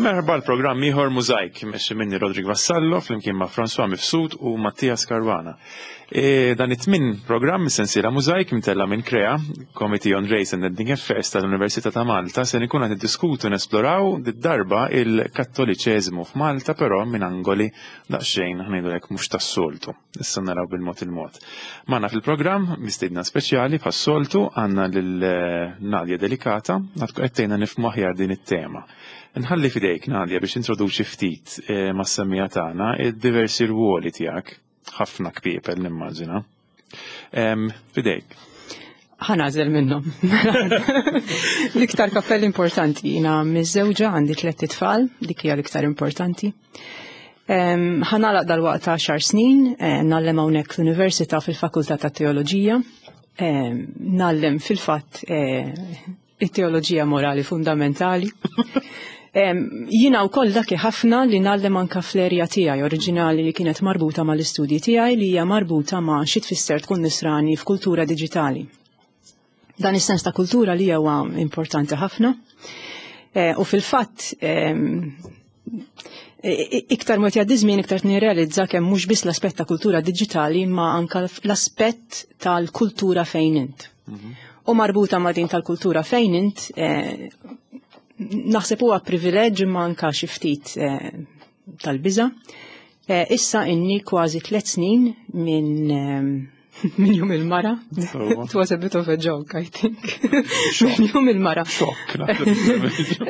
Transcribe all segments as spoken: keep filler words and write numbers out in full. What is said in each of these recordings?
Merħba l-programm ieħor Mużajk, mexxi minni Rodrik Vassallo flimkien ma' François Mifsud u Mattias Caruana. E, dan it-tmin programm sensiela Mużajk mtella minn Krea, Committee on Race and Ethnic Affairs tal-Università ta' Malta, se nkun qed niddiskutu nesploraw darba il-Kattoliċeżmu f'Malta, però minn angoli daqsxejn ngħidulek mhux tas-soltu. Issa naraw bil-mod il-mod. Magħna fil-programm mistiedna speċjali bħas-soltu għandna lil eh, Nadia Delicata, għad qed nifhmu aħjar din it-tema. Nħalli fidejk, Nadia, biex introduċi ftit eh, mas-semmiegħa tagħna id-diversi rwoli tiegħek, ħafna kpiepel nimmaġina. Fidejk. Ħa nagħżel minnhom. L-iktar kappell importanti, jiena miżżewġa, għandi tliet itfal, dik hija l-iktar importanti. Ħa nagħlaq dalwaqt għaxar snin, eh, ngħallem hawnhekk l-Università fil-Fakultà ta' Teoloġija, ngħallem fil-fatt eh, it-teoloġija morali fundamentali. Jiena wkoll dak ħafna li ngħallem anka fl-erja tiegħi oriġinali li kienet marbuta mal-istudji tiegħi, li hija marbuta ma' xi tfisser tkun nisrani f'kultura diġitali. Dan is-sens ta' kultura li huwa importanti ħafna. E, u fil-fatt iktar mod jgħaddi żmien, iktar nirrealizza kemm mhux biss l-aspett ta' kultura diġitali, ma anka l-aspett tal-kultura fejn int. Mhm. U marbuta ma' din tal-kultura fejn int, eh, naħseb huwa privileġġ imma anka xi ftit eh, tal-biża. Eh, issa inni kważi tliet snin minn minn Jum il-Mara. It was a bit of a joke, I think. Minn Jum il-Mara. Xokk.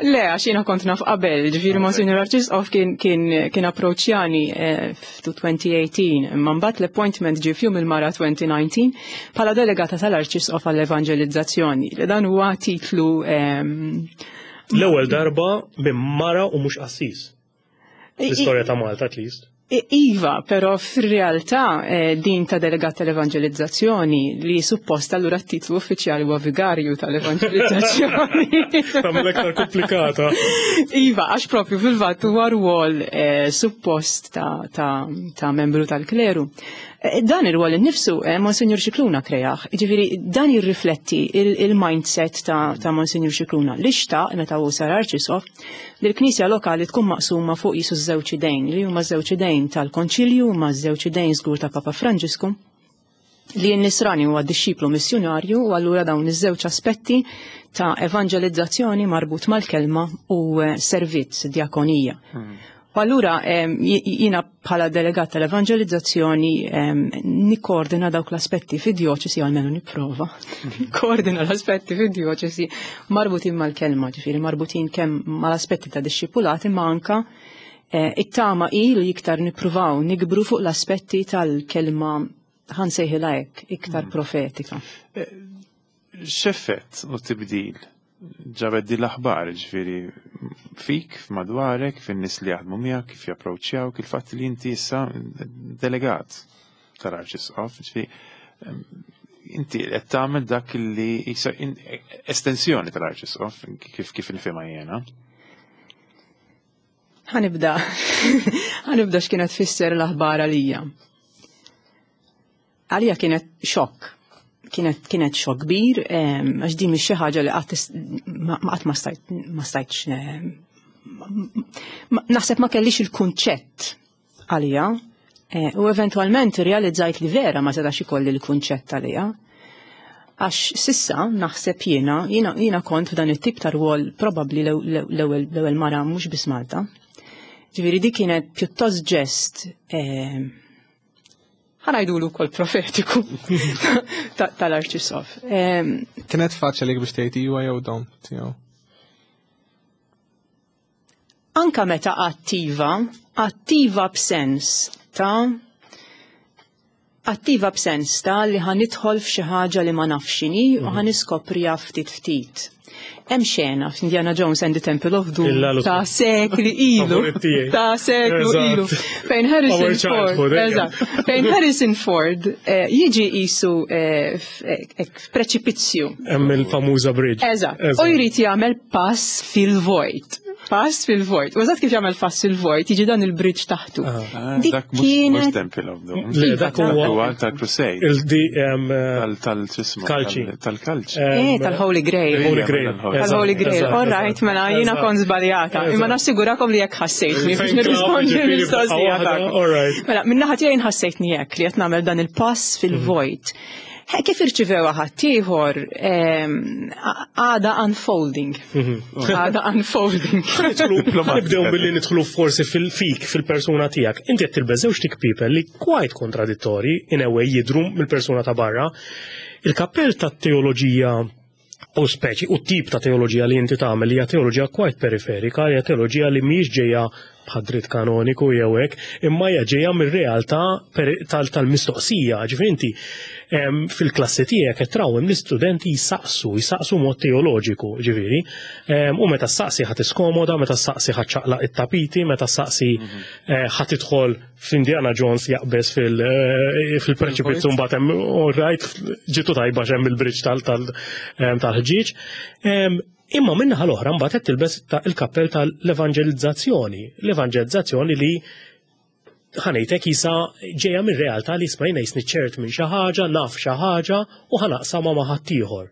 Le, għax jiena kont naf qabel, ġifieri Monsignor Arċisqof kien kien kien approċċjani eh, f'elfejn u tmintax, imma mbagħad l-appointment ġie f'Jum il-Mara elfejn u dsatax bħala delegata tal-Arċisqof għall-Evangelizzazzjoni. Li dan huwa titlu ehm, L-ewwel darba minn mara u mhux qassis. L-istorja ta' Malta, at least. Iva, però fir-realtà eh, din ta' delegat tal-evangelizzazzjoni, li suppost allura t-titlu uffiċjali huwa vigarju tal-evangelizzazzjoni. Tagħmel aktar komplikata. Iva, għax propju fil-fatt huwa rwol eh, suppost ta', ta, ta' membru tal-kleru. Eh, dan ir-rwol innifsu eh, Monsignor Scicluna kreah, ġifieri dan jirrifletti il-mindset ta', ta' Monsignor Scicluna li xtaq meta hu sar arċisqof li l-Knisja lokali tkun maqsuma fuq jisu żewġ idejn, li huma żewġ idejn tal-Konċilju, ma żewġ idejn żgur ta' Papa Franġisku, li n-nisrani huwa dixxiplu missjonarju, u allura dawn iż-żewġ aspetti ta' evangelizzazzjoni marbut mal-kelma u eh, servizz, diakonija. Hmm. U allura jiena bħala delegat tal-evangelizzazzjoni nikkoordina dawk l-aspetti fid-djoċesi, almenu nipprova, nikkoordina l-aspetti fid-djoċesi marbutin mal-kelma, ġifieri marbutin kemm mal-aspetti ta' dixxipulati, ma anka eh, it-tama i li iktar nippruvaw nikbru fuq l-aspetti tal-kelma, ħa nsejħilha hekk, iktar mm. profetika. Eh, x'effett u tibdil ġabet di l-aħbar, ġifieri fik, f'madwarek, fin-nies li jaħdmu miegħek, kif japproċċjaw, il-fatt li inti issa delegat tal-Arċisqof, ġifieri inti qed tagħmel dak li estensjoni tal-Arċisqof, kif kif nifhimha jiena. Ħa nibda, ħa nibda x'kienet tfisser l-aħbar għalija. Għalija kienet xokk, kienet kienet xokk kbir, għax din mhix xi ħaġa li qatt ma qatt ma stajtx naħseb, ma kellix il-kunċett għalija eh, u eventualment realizzajt li vera ma setax ikolli l-kunċett għalija. Għax s'issa naħseb jiena, jiena, jiena kont f'dan it-tip ta' rwol probabbli l-ewwel mara mhux biss Malta. Ġifieri di kienet pjuttost ġest, eh, ħa ngħidulu kol profetiku tal-Arċisqof. Kienet faċli biex tgħid iwa jew dom tiegħu? Anka meta attiva, attiva b'sens ta' attiva b'sens ta' li ħa nidħol f'xi ħaġa li ma nafx x'inhi u ħa niskopriha ftit ftit. Hemm xena f'Indiana Jones and the Temple of Doom ta' sekli ilu. Ta' seklu ilu. Fejn Harrison Ford. Eżatt. Fejn Harrison Ford eh, jiġi jisu eh, eh, f'preċipizzju. Hemm il-famuża bridge. Eżatt. U jrid jagħmel pass fil-vojt. Pass fil-vojt. U eżatt kif jagħmel pass fil-vojt, jiġi dan il-bridge taħtu. Ah, Dik Dak mhux kienet Temple of Doom. Le, dak huwa tal-Crusade. Il-di em, Tal- Tal-ċismu. Kalċi. Tal-kalċi. em, Eh, tal-Holy Grail. Holy Grail. Tal-Holy Eżatt, Grail. eżatt, All right, eżatt. mela jiena Eżatt. kont żbaljata. Imma Eżatt. nassigurakom li jekk ħassejtni biex Fejn nirrispondi ġifieri l-mistoqsija waħda, tagħkom. all right. Mela, minn naħa tiegħi nħassejtni hekk li qed nagħmel dan il-pass fil-vojt. He, Kif irċivew ħaddieħor ehm, għada unfolding. Għada unfolding. Nibdew billi nidħlu forsi fil-fik, fil-persuna tiegħek. Inti qed tilbes żewġ kpiepel li quite kontradittori in a way jidru mill-persuna ta' barra. Il-kappell ta' teoloġija u speċi u tip ta' teoloġija li inti tagħmel hija teoloġija quite periferika, hija teoloġija li mhijiex ġejja bħad-dritt kanoniku jew hekk, imma hija ġejja mir-realtà peri- tal- tal-mistoqsija. Ġifieri inti em, fil-klassi tiegħek qed trawhem l-istudenti jisaqsu, jisaqsu mod teoloġiku, ġifieri. Em, U meta ssaqsi ħa tiskomoda, meta ssaqsi ħa ċaqlaq it-tapiti, meta ssaqsi eh, ħa tidħol f'Indiana Jones jaqbeż fil- eh, fil-preċipizzu mbagħad hemm all right, ġitu tajba x'hemm il-bridge tal- tal- em, tal-ħġieġ. Em, Imma minnaħa l-oħra mbagħad qed tilbes ta' il-kappell tal-evanġelizzazzjoni. L-evanġelizzazzjoni li ħa ngħidlek jisa ġejja minn realtà li smajna jisni ċert minn xi ħaġa, naf xi ħaġa u ħa naqsamha ma' ħaddieħor.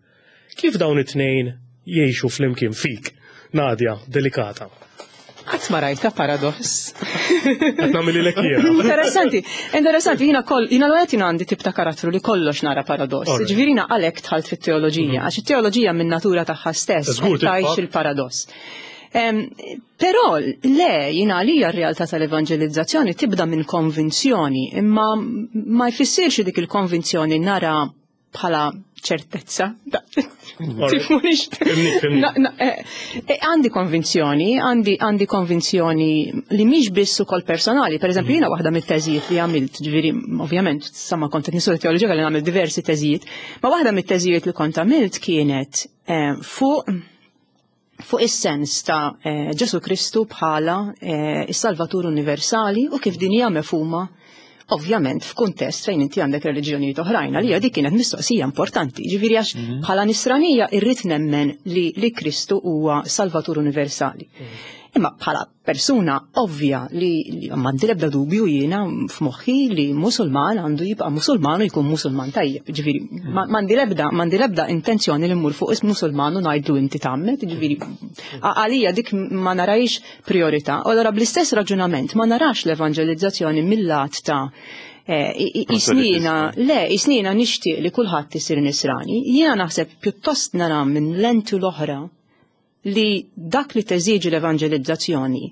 Kif dawn it-tnejn jgħixu flimkien fik? Nadia, delikata. Qatt ma rajta paradoss. Qed nagħmililek jiena. Interessanti, interessanti, jina koll, jina l jina għandi tip ta' karattru li kollox nara paradoss. Alright. Ġifieri jina għalhekk dħalt fit-teoloġija, għax it-teoloġija minn natura tagħha stess Żgur tgħix titfa'. il-paradoss. Em, Però le, jina għalija r-realtà tal-evanġelizzazzjoni tibda minn konvinzjoni, imma ma jfissirx dik il-konvinzjoni nara bħala ċertezza. Tifhmunix? Fhimnik, fhimnik. Na- na- eh, eh, Għandi konvinzjoni, għandi għandi konvinzjoni li mhix biss ukoll personali. Per eżempju, jiena waħda mit-teżijiet li għamilt, ġifieri, ovvjament, sama kont qed nistudja teoloġija li nagħmel diversi teżijiet, ma waħda mit-teżijiet li kont għamilt kienet eh, fuq fuq is-sens ta' eh, Ġesu Kristu bħala eh, is-Salvatur Universali u kif din hija mefhuma ovvjament f'kuntest fejn inti għandek reliġjonijiet oħrajn, għalija dik kienet mistoqsija importanti. Ġifieri għax bħala nisranija irrid nemmen li, li Kristu huwa Salvatur Universali. Imma bħala persuna ovvja li, li m'għandi l-ebda dubju jiena f'moħħi li musulman għandu jibqa' musulman u jkun musulman tajjeb. Ġifieri ma- m'għandi l-ebda m'għandi l-ebda intenzjoni li mmur fuq ism musulman u ngħidlu inti tgħammed, ġifieri a- għalija dik ma narajx priorità. U Allora bl-istess raġunament ma narax l-evanġelizzazzjoni mill-lat ta' eh, i- i- isnina, le, isnina nixtieq li kulħadd isir nisrani. Jiena naħseb pjuttost nara minn lentu l-oħra li dak li teżiġi l-evanġelizzazzjoni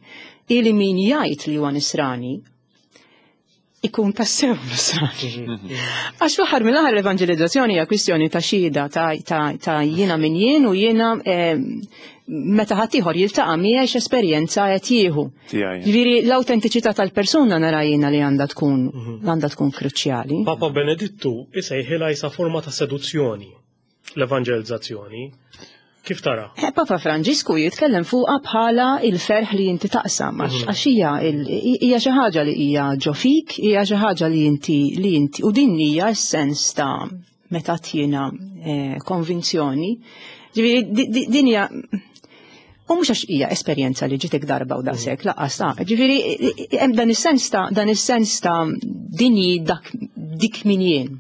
ili min jgħid li huwa nisrani ikun tassew nisrani. Għax fl-aħħar mill-aħħar l-evanġelizzazzjoni hija kwistjoni ta' xhieda ta', ta, ta' jiena min jien u jiena eh, meta ħaddieħor jiltaqa' miegħi x'esperjenza qed jieħu. Tiegħi. Ġifieri l-awtentiċità tal-persuna nara jiena li għandha tkun għandha tkun kruċjali. Papa Benedittu isejħilha jisa forma ta' seduzzjoni l-evanġelizzazzjoni. Kif tara? Eh, Papa Franġisku jitkellem fuqha bħala il-ferħ li inti taqsam, għax għax hija il- hija xi ħaġa li hija ġo fik, hija xi ħaġa li inti li inti u din hija s-sens ta' meta tjiena eh, konvinzjoni. Ġifieri di- di- din hija U mhux għax hija esperjenza li ġitek darba u daqshekk, lanqas ta' ġifieri hemm dan is-sens ta' dan is-sens ta' din hi dak dik min jien.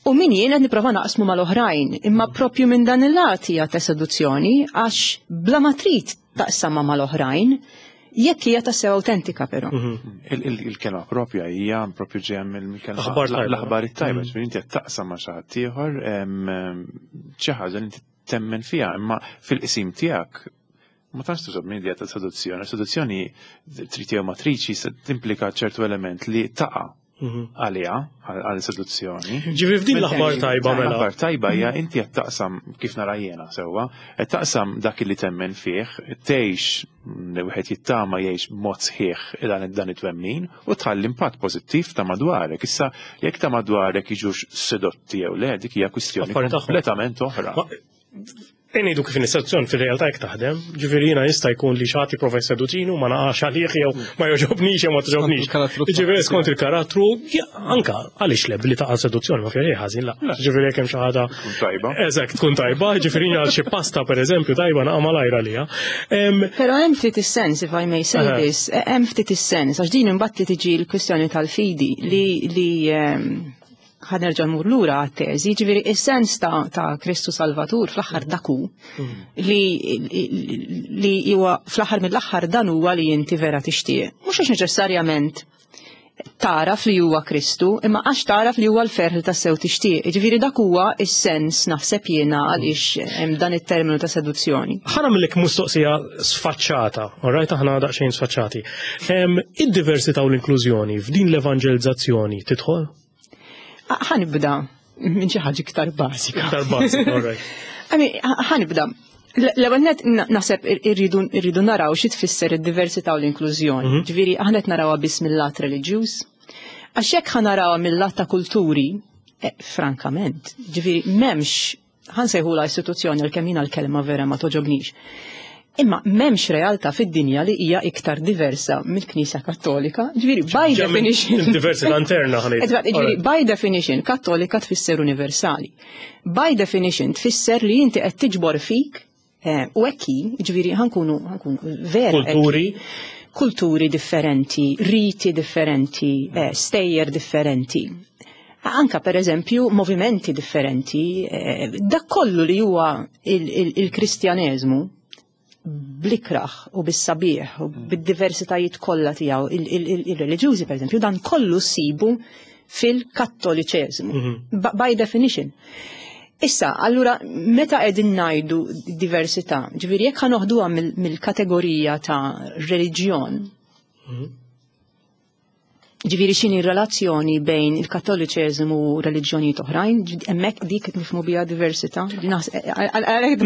U min jien qed nipprova naqsmu mal-oħrajn, imma propju minn dan il-lat hija ta' seduzzjoni għax bla ma trid taqsamha mal-oħrajn, jekk hija tassew autentika però. Il- il- Il-kelma propja hija propju ġejja mill-kelma Aħbar tajba. l-aħbar it-tajba, ġifieri inti qed taqsam ma' xi ħadd ieħor em, em, xi ħaġa li inti temmen fiha, imma fil-qsim tiegħek ma tantx tuża minn idea ta' seduzzjoni. Seduzzjoni trid jew matriċi se timplika ċertu element li taqa' għaliha għal seduzzjoni. Ġifieri f'din l-aħbar tajba mela. L-aħbar tajba hija inti qed taqsam kif nara jiena sewwa, qed taqsam dak li temmen fih, tgħix li wieħed jittama jgħix b'mod sħiħ dan dan it-twemmin u tħalli impatt pożittiv ta' madwarek. Issa jekk ta' madwarek jiġux sedotti jew le, dik hija kwistjoni Affari tagħhom. kompletament oħra. Ma- Ngħidu kif in-seduzzjoni fil-realtà jekk taħdem, ġifieri jiena jista' jkun li xi ħadd jipprova jseduċini u ma naqax għalih jew ma jogħġobnix jew ma togħġobnix. il-karattru Ġifieri skont il-karattru, ja, anka għaliex le billi taqa' seduzzjoni ma fiha xejn ħażin la. Ġifieri jekk hemm xi ħaġa Tkun tajba. Eżatt, tkun tajba, ġifieri għal xi pasta pereżempju tajba naqa' malajra lija. Em, Pero hemm ftit is-sens, if I may say Aha. this, hemm ftit is-sens, għax din imbagħad li tiġi l-kwistjoni tal-fidi li li ehm, ħa nerġa' mmur lura għat-teżi, ġifieri is-sens ta' ta' Kristu Salvatur fl-aħħar dak hu li li huwa fl-aħħar mill-aħħar dan huwa li inti vera tixtieq. Mhux għax neċessarjament taraf li huwa Kristu, imma għax taraf li huwa l-ferħ li tassew tixtieq. Ġifieri dak huwa is-sens naħseb jiena għaliex hemm dan it-terminu ta' seduzzjoni. ħa nagħmillek mistoqsija sfaċċata, alright, aħna daqsxejn sfaċċati. Em, Id-diversità u l-inklużjoni f'din l-evangelizzazzjoni tidħol? Ħa nibda minn xi ħaġa iktar bażika. Iktar bażika, alright. I mean, ħa nibda. L-ewwel net naħseb irridu irridu naraw xi tfisser id-diversità u l-inklużjoni. Mhm. Ġifieri aħna qed narawha biss mill-lat reliġjuż. Għax jekk ħa narawha mill-lat ta' kulturi, eh, frankament, ġifieri m'hemmx ħa nsejħula istituzzjoni għalkemm jiena l-kelma vera ma toġobnix. Imma m'hemmx realtà fid-dinja li hija iktar diversa mill-Knisja Kattolika. Ġifieri by Ġa minn definition. Diversità interna ħa ngħid. Eżatt, ġifieri, by definition, kattolika tfisser universali. By definition tfisser li inti qed tiġbor fik eh, u hekk hi, ġifieri ħa nkunu ħa nkunu vera hekk hi. Kulturi. Kulturi differenti, riti differenti, eh, stejjer differenti. Anka per eżempju movimenti differenti, eh, dak kollu li huwa il-Kristjaneżmu bl-ikraħ u bis-sabiħ u bid-diversitajiet kollha tiegħu il-reliġjużi per eżempju dan kollu ssibu fil-kattoliċeżmu. By definition. Issa, allura, meta qegħdin ngħidu diversità, ġifieri jekk ħa noħduha mill-kategorija ta' reliġjon, ġifieri x'inhi relazzjoni bejn il-kattoliċeżmu u reliġjonijiet oħrajn, hemmhekk dik nifhmu biha diversità. Għalhekk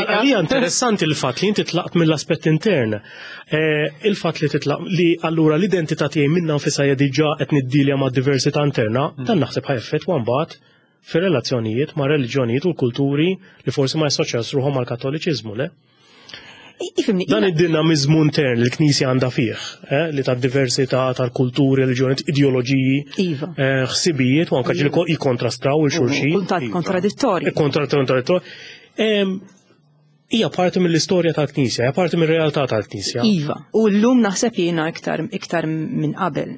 Għalija interessanti il-fatt li inti tlaqt mill-aspett intern. Eh, il-fatt li titlaq li allura l-identità tiegħi minna nfisha hija diġà qed niddilja ma' diversità interna, dan naħseb ħa effettwa mbagħad fir-relazzjonijiet ma' reliġjonijiet u l-kulturi li forsi ma jassoċjaw ruħhom mal-kattoliċiżmu, le? Ifhimni, Dan id-dinamizmu intern li l-Knisja għandha fih, eh, li ta' diversità tal-kulturi, reliġjonijiet, ideoloġiji, Iva. eh, ħsibijiet u anke ġieli jikkontrastraw lil xulxin. Kuntat kontradittorji. Kontradittorji. Hija parti mill-istorja tal-Knisja, hija parti mir-realtà tal-Knisja. Iva, u llum naħseb jiena iktar iktar minn qabel.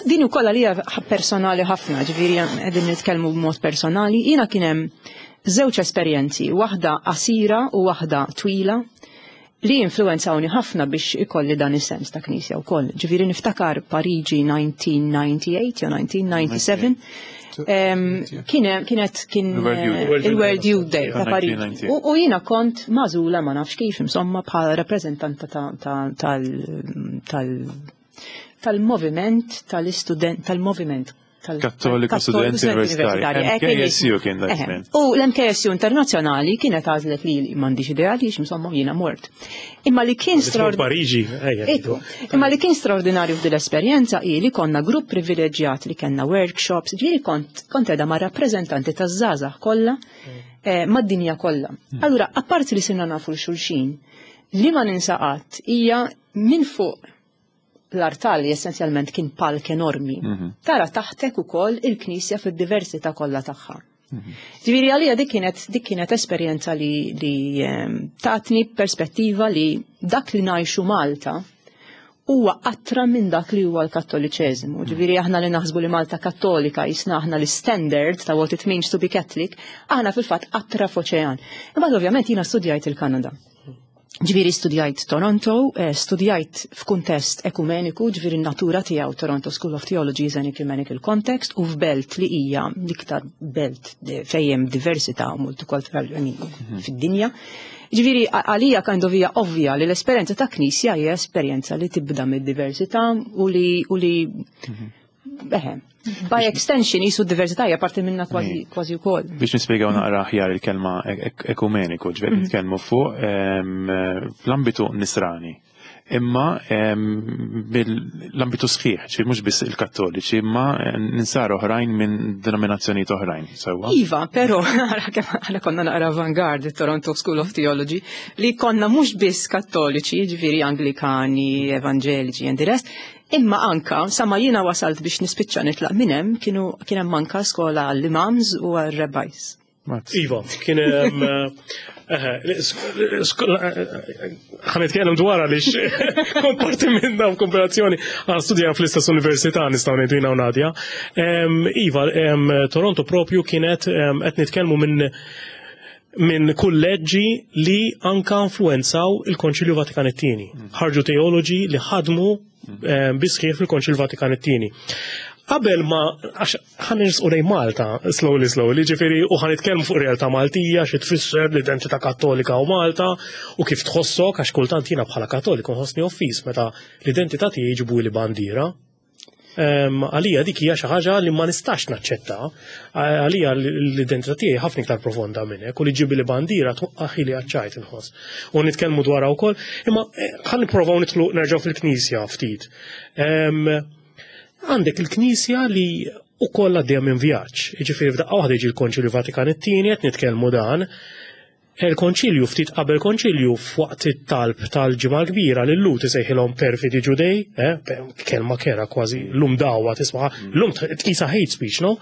Din ukoll għalija personali ħafna, ġifieri qegħdin nitkellmu b'mod personali, jiena kien hemm żewġ esperjenzi, waħda qasira u waħda twila, li influenzawni ħafna biex ikolli dan is-sens ta' knisja wkoll. Ġifieri niftakar Pariġi elf disa' mija u disgħa u tmenin jew elf disa' mija u disgħa u sebgħin, kienet kien il-World Youth Day ta' Pariġi. U jiena kont magħżula ma nafx kif insomma bħala rappreżentanta tal-moviment tal-istudent tal-moviment Kattoliku Studenti Universitari. M K S U kien dak żmien. U l-M K S U internazzjonali kienet għażlet li m'għandix idea li insomma jiena mort. Imma li kien Pariġi, Imma li kien straordinarju f'din l-esperjenza hi li konna grupp privileġġjat li kellna workshops, ġifieri kont kont qiegħda ma' rappreżentanti taż-żgħażagħ kollha eh, mad-dinja kollha. Allura, apparti li sirna nafu lil xulxin, li ma ninsa qatt hija minn fuq l-artal li essenzjalment kien palk enormi. Tara taħtek ukoll il-knisja fid-diversità kollha tagħha. Ġifieri għalija dik kienet dik kienet esperjenza li, li ehm, tatni perspettiva li dak li ngħixu Malta huwa qatra minn dak li huwa l-kattoliċeżmu. Ġifieri aħna li naħsbu li Malta kattolika jisna aħna l-standard ta' what it means to be Catholic, aħna fil-fatt qatra f'oċean. Imbagħad ovvjament jiena studjajt il-Kanada. Ġifieri studjajt Toronto, eh, studjajt f'kuntest ekumeniku, ġifieri n-natura tiegħu Toronto School of Theology is an ecumenical context u f'belt li hija l-iktar belt fejn hemm diversità multikulturali I mean, fid-dinja. Ġifieri għalija kind of hija ovvja li l-esperjenza ta' knisja hija esperjenza li tibda mid-diversità u li u li eħe, by extension jisu diversità hija parti minna kważi kważi wkoll. Biex nispjegaw naqra aħjar il-kelma ekumeniku, ġifieri nitkellmu fuq em, fl-ambitu nisrani. Imma bil-ambitu sħiħ, ġifieri mhux biss il-Kattoliċi, imma insara oħrajn minn denominazzjonijiet oħrajn, sewwa? Iva, però ara kemm aħna konna naqra avant-garde, Toronto School of Theology, li konna mhux biss Kattoliċi, ġifieri Anglikani, Evangeliċi and the rest, imma anka, sa ma jiena wasalt biex nispiċċa nitlaq minn hemm, kienu kien hemm anka skola għall-imams u għall-rabbis. Iva, kien hemm ħa nitkellem dwar għaliex kont parti minna f'kooperazzjoni għal studja fl-istess università, nistgħu ngħidu, jiena u Nadia. Iva, Toronto propju kienet qed nitkellmu minn minn kulleġġi li anka influenzaw il-Konċilju Vatikan it-Tieni. Ħarġu teoloġi li ħadmu bis-sħiħ fil-Konċilju Vatikan it-Tieni. Qabel ma, għax ħa nersqu lejn Malta, slowly, slowly, ġifieri, u ħa nitkellmu fuq realtà Maltija, xi tfisser l-identità Kattolika u Malta, u kif tħossok, għax kultant jiena bħala Kattoliku nħossni offiż meta l-identità tiegħi jġibu li bandiera. Għalija dik hija xi ħaġa li ma nistax naċċetta. Għalija l-identità tiegħi ħafna iktar profonda minn hekk u li ġibi li bandiera twaqqaħi li għaċ-ċajt inħoss. U nitkellmu dwarha wkoll, imma eh, ħa nipprovaw nidħlu nerġgħu fil-Knisja ftit. Għandek il-Knisja li ukoll għaddejja minn vjaġġ. Jiġifieri f'daqqa waħda jiġi l-Konċilju Vatikan it-Tieni, qed nitkellmu dan. Il-Konċilju, ftit qabel konċilju, f'waqt it-talb tal-Ġimgħa Kbira, lil Lhud isejħilhom perfidi Ġudej, eh, kelma kera kważi llum dawa tisma', llum tqisha hate speech, no?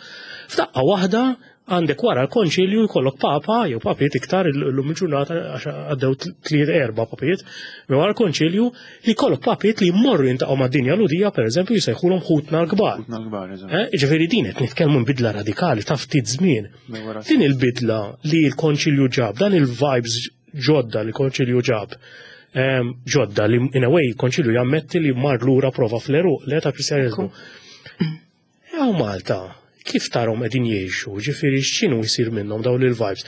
F'daqqa waħda għandek wara l-konċilju jkollok papa, jew papiet iktar llum il-ġurnata għax għaddew tliet erba' papiet, minn wara l-konċilju li jkollok papiet li jmorru jintaqgħu mad-dinja Lhudija, pereżempju, jsejħulhom ħutna l-kbar. Ħutna l-kbar, eżatt. Eh, ġifieri din qed nitkellmu bidla radikali ta' ftit żmien. Din il-bidla li l-konċilju ġab, dan il-vibes ġodda li l-konċilju ġab, ġodda li in a way konċilju jammetti li mar lura prova fl-għeruq le ta' Kristjaneżmu. Hawn Malta, kif tarahom qegħdin jgħixu, ġifieri x'inhu jsir minnhom dawn il-vibes?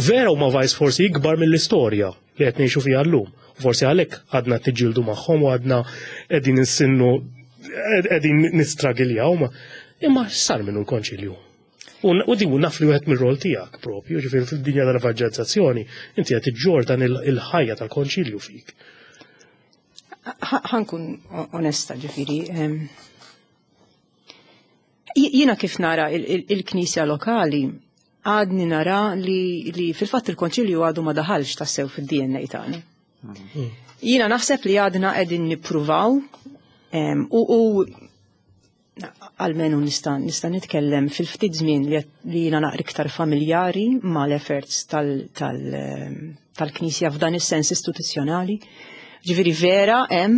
Vera huma vibes forsi ikbar mill-istorja li qed ngħixu fiha llum. Forsi għalhekk għadna tiġġieldu magħhom u għadna qegħdin insinnu, qegħdin nistragiljaw, ma imma x'sar minnu l-konċilju? U di naf li wieħed mir-rol tiegħek propju, ġifieri fid-dinja tal-evanġelizzazzjoni, inti qed iġġor dan il-ħajja tal-konċilju fik. Ħa nkun onesta, ġifieri. Jiena kif nara il-Knisja lokali, għadni nara li, li fil-fatt il-konċilju għadu ma daħalx tassew fid-D N A tagħna. Jiena naħseb li għadna qegħdin nippruvaw u, u almenu nista' nista' nitkellem fil-ftit żmien li li jiena naqra iktar familjari mal-efforts tal-Knisja f'dan is-sens istituzzjonali. Ġifieri vera hemm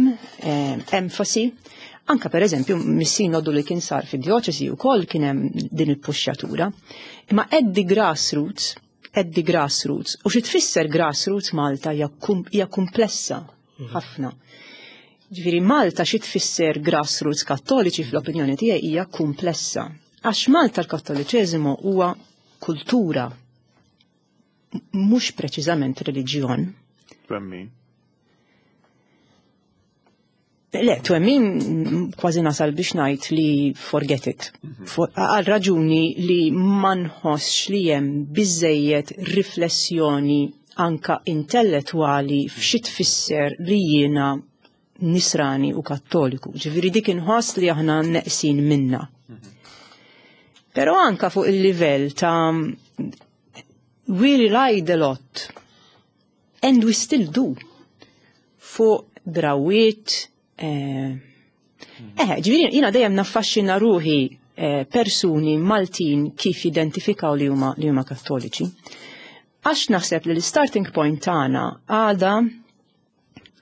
enfasi. Anka per eżempju mis-sinodu li kien sar fid-djoċesi wkoll kien hemm din il-puxxjatura. Imma at the grassroots, at the grassroots, u xi tfisser grassroots Malta hija komplessa ħafna. Ġifieri Malta xi tfisser grassroots Kattoliċi fl-opinjoni tiegħi hija komplessa. Għax Malta l-Kattoliċeżimu huwa kultura, mhux preċiżament reliġjon. Twemmin. Le, twemmin kważi nasal biex ngħid li forget it. Għal raġuni li ma nħossx li hemm biżejjed riflessjoni anka intellettwali f'xi tfisser li jiena Nisrani u Kattoliku. Ġifieri dik inħoss li aħna neqsin minna. Però anka fuq il-livell ta' we relied a lot and we still do fuq drawiet. Eh, eh ġifieri jiena dejjem naffaxxina ruħi eh, persuni Maltin kif identifikaw li huma li huma Kattoliċi. Għax naħseb li l-starting point tagħna għada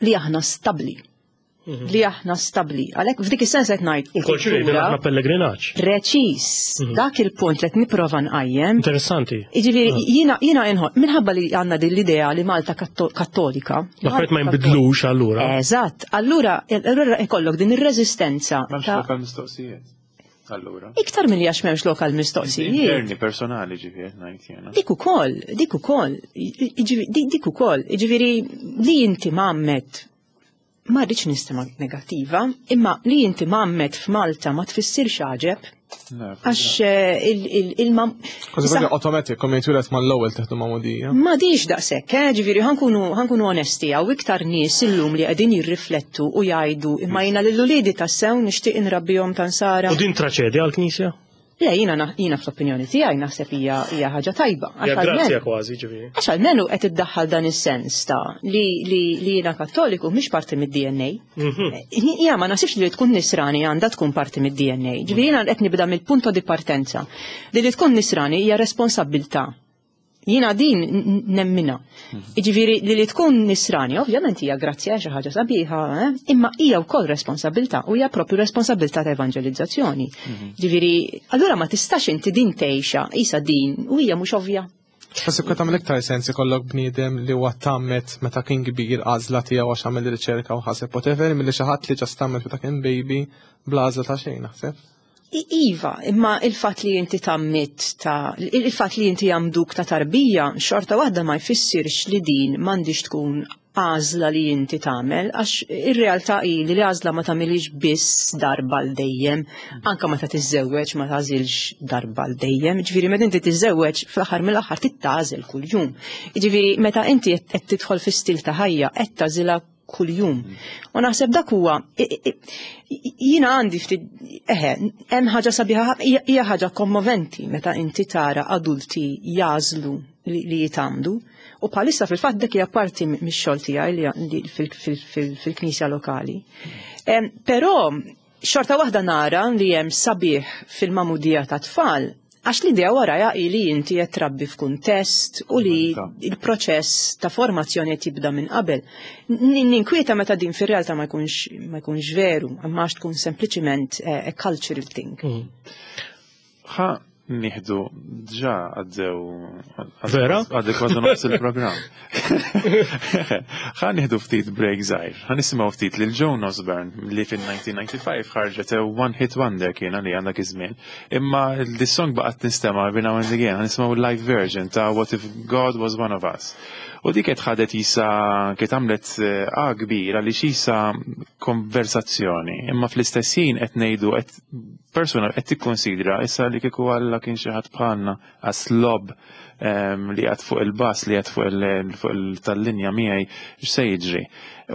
li aħna stabli. Li aħna stabli. Għalhekk f'dik is-sens qed ngħid. U l-konċilju li aħna pellegrinaġġ. Preċiż, dak il-punt li qed nipprova nqajjem. Interessanti. Jiġifieri jiena jiena inħoss minħabba li għandna din l-idea li Malta Kattolika. L-affarijiet ma jinbidlux allura. Eżatt, allura allura ikollok din ir-reżistenza. M'hemmx lokal mistoqsijiet. Allura. Iktar milli għax m'hemmx lokal mistoqsijiet. Interni personali, ġifieri ngħid jiena. Dik ukoll, dik ukoll, dik ukoll, ġifieri li inti mgħammed Ma rridx nistema negattiva, imma li inti mgħammed f'Malta ma tfissirx għaġeb, għax il-mam. Kważi kważi automatic, kom jitwieled mal-ewwel teħdu magħmudija. Ma diġ daqshekk, eh, ġifieri ħankunu ħankunu onesti, hawn iktar nies illum li qegħdin jirriflettu u jgħidu imma jiena lil uliedi tassew nixtieq inrabbihom ta' Nsara. U din traċedja għall-Knisja? Le, jiena jiena fl-opinjoni tiegħi naħseb hija hija ħaġa tajba. Hija grazzja kważi, ġifieri. Għax almenu qed iddaħħal dan is-sens ta' li li li jiena Kattoliku mhix parti mid-D N A. Hija ma naħsibx li tkun nisrani għandha tkun parti mid-D N A. Ġifieri jiena qed nibda mill-punto di partenza. Li li tkun nisrani hija responsabbiltà. Jiena din nemmina. Jiġifieri li li tkun nisrani, ovvjament hija grazzja, xi ħaġa sabiħa, eh? Imma hija wkoll responsabilità u hija propju responsabilità ta' evangelizzazzjoni. Ġifieri, allura ma tistax inti din tgħixha isa din u hija mhux ovvja. Forsi kont tagħmel iktar sens ikollok bniedem li huwa tgħammed meta kien kbir, għażla tiegħu għax għamel riċerka u ħaseb whatever, milli xi ħadd li just tgħammed meta kien baby bla għażla ta' xejn, naħseb. Iva, imma il-fat li inti tgħammidt ta' il-fat li inti għammduk ta' tarbija, xorta waħda ma jfissirx li din m'għandix tkun għażla li inti tagħmel, għax ir-realtà hi li l-għażla ma tagħmilix biss darba l dejjem, anka meta tiżżewweġ ma tagħżilx darba l dejjem. Ġifieri meta inti tiżżewweġ, fl-aħħar mill-aħħar tagħżel kuljum. Ġifieri meta inti qed tidħol fi stil ta' ħajja qed tagħżilha kuljum. U naħseb dak huwa, jiena għandi ftit, eħe, hemm ħaġa sabiħa, hija ħaġa kommoventi meta inti tara adulti jagħżlu li, li jitgħammdu. U bħalissa fil-fatt dik hija parti mix-xogħol tiegħi fil-knisja lokali. Però xorta waħda nara li hemm sabiħ fil-magħmudija ta' tfal, għax l-idea waraja hi li inti qed trabbi f'kuntest u li il-proċess ta' formazzjoni qed jibda minn qabel. Ninkwieta meta din fir-realtà ma jkunx ma jkunx veru, imma għax tkun sempliċiment a cultural thing. Ħa nieħdu ġa għaddew. Vera? Għaddew kważi nofs il-programm. Ħa nieħdu ftit break żgħir. Ħa nisimgħu ftit lil Joan Osborne li fin-elf disa' mija u disgħa u disgħin ħarġet one hit wonder kien li għandak iż-żmien. Imma this song baqgħet tinstema' every now and again. Ħa nisimgħu live version ta' What If God Was One of Us. U dik qed ħadet jisa kiet għamlet a kbir għaliex jisa konversazzjoni. Imma fl-istess ħin qed ngħidu qed persuna qed tikkonsidra issa li kieku Alla kien xi ħadd bħalna, għas-slob li għad fuq il-bus, li għad fuq il-tal-linja miegħi, x'se jiġri.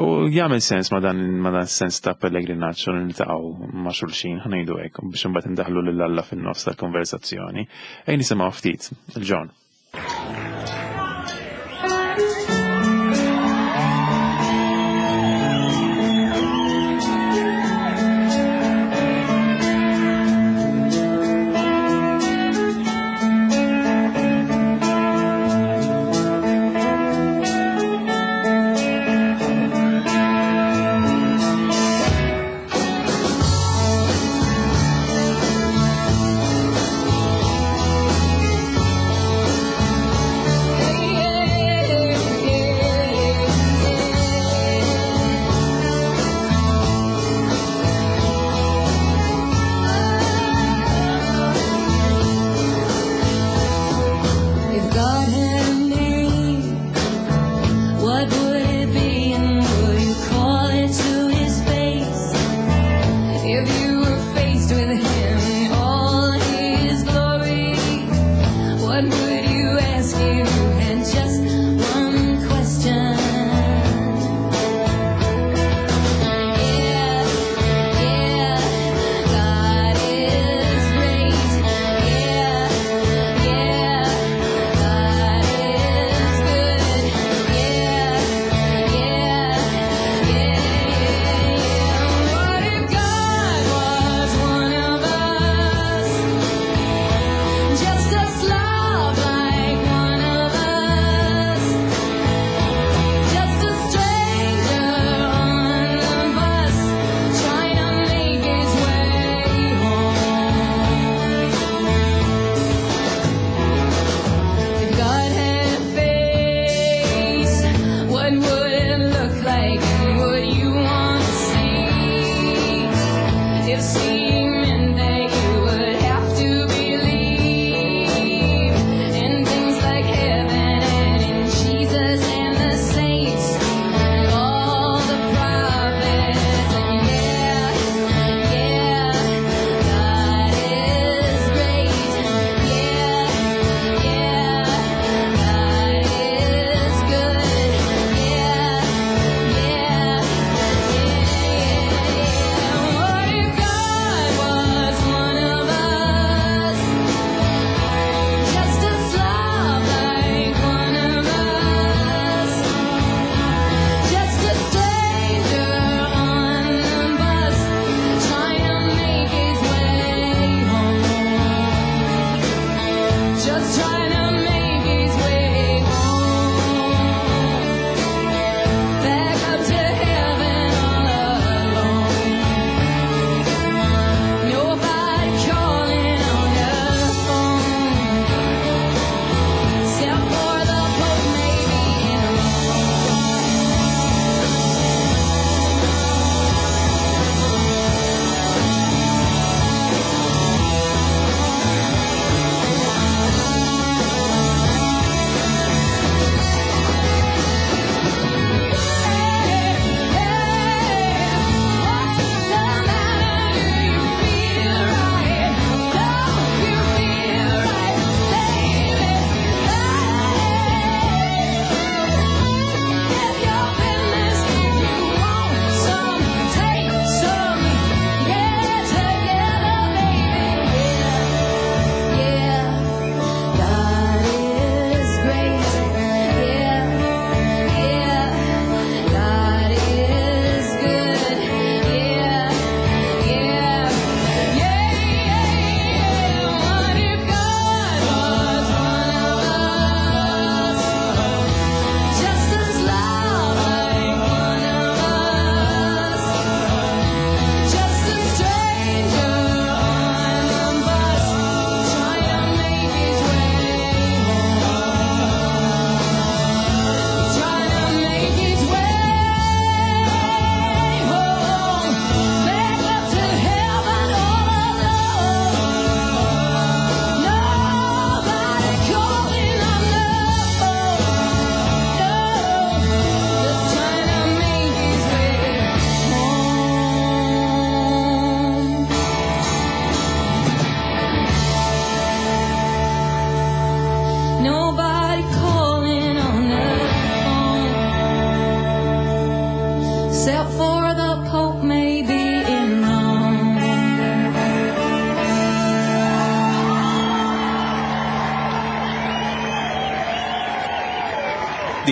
U jagħmel sens ma dan ma dan sens ta' pellegrinaġġ u niltaqgħu ma' xulxin, ħa ngħidu hekk, biex imbagħad indaħlu lil Alla fin-nofs tal-konversazzjoni. Ejja nisimgħu ftit il-Joan.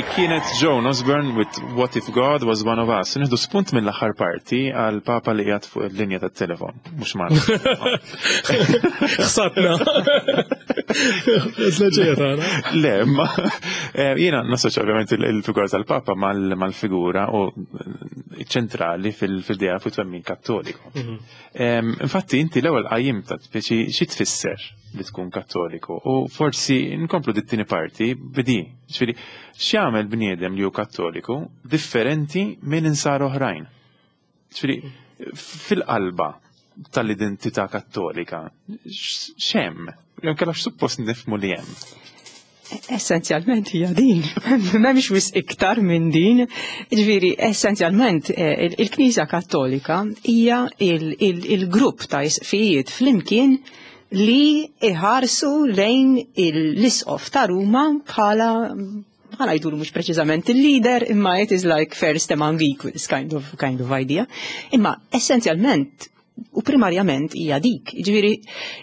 Dik kienet Joan Osborne with What If God Was One of Us. Nieħdu spunt mill-aħħar parti għal papa li qiegħed fuq il-linja tat-telefon, mhux magħna. Ħsatna. Le, ma eh, jiena nassoċja ovvjament il-figura tal-papa mal-figura u ċentrali fil-idea fuq twemmin kattoliku. Mhm. Infatti inti l-ewwel qajjimta speċi xi tfisser li tkun kattoliku u forsi nkomplu dit-tieni parti bidi. Ġifieri, x'jagħmel bniedem li hu kattoliku differenti minn insar oħrajn? Ġifieri, fil-qalba tal-identità kattolika, x'hemm? Jew kellha x'suppost nifhmu li hemm? Essenzjalment hija din, m'hemmx wisq iktar minn din. Ġifieri, essenzjalment eh, il-Knisja Kattolika hija il-grupp ta' isqfijiet flimkien li iħarsu lejn l-isqof ta' Ruma bħala ħa ngħidu mhux preċiżament il-leader, imma it is like first among equals kind of, kind of idea. Imma essenzjalment u primarjament hija dik. Ġifieri,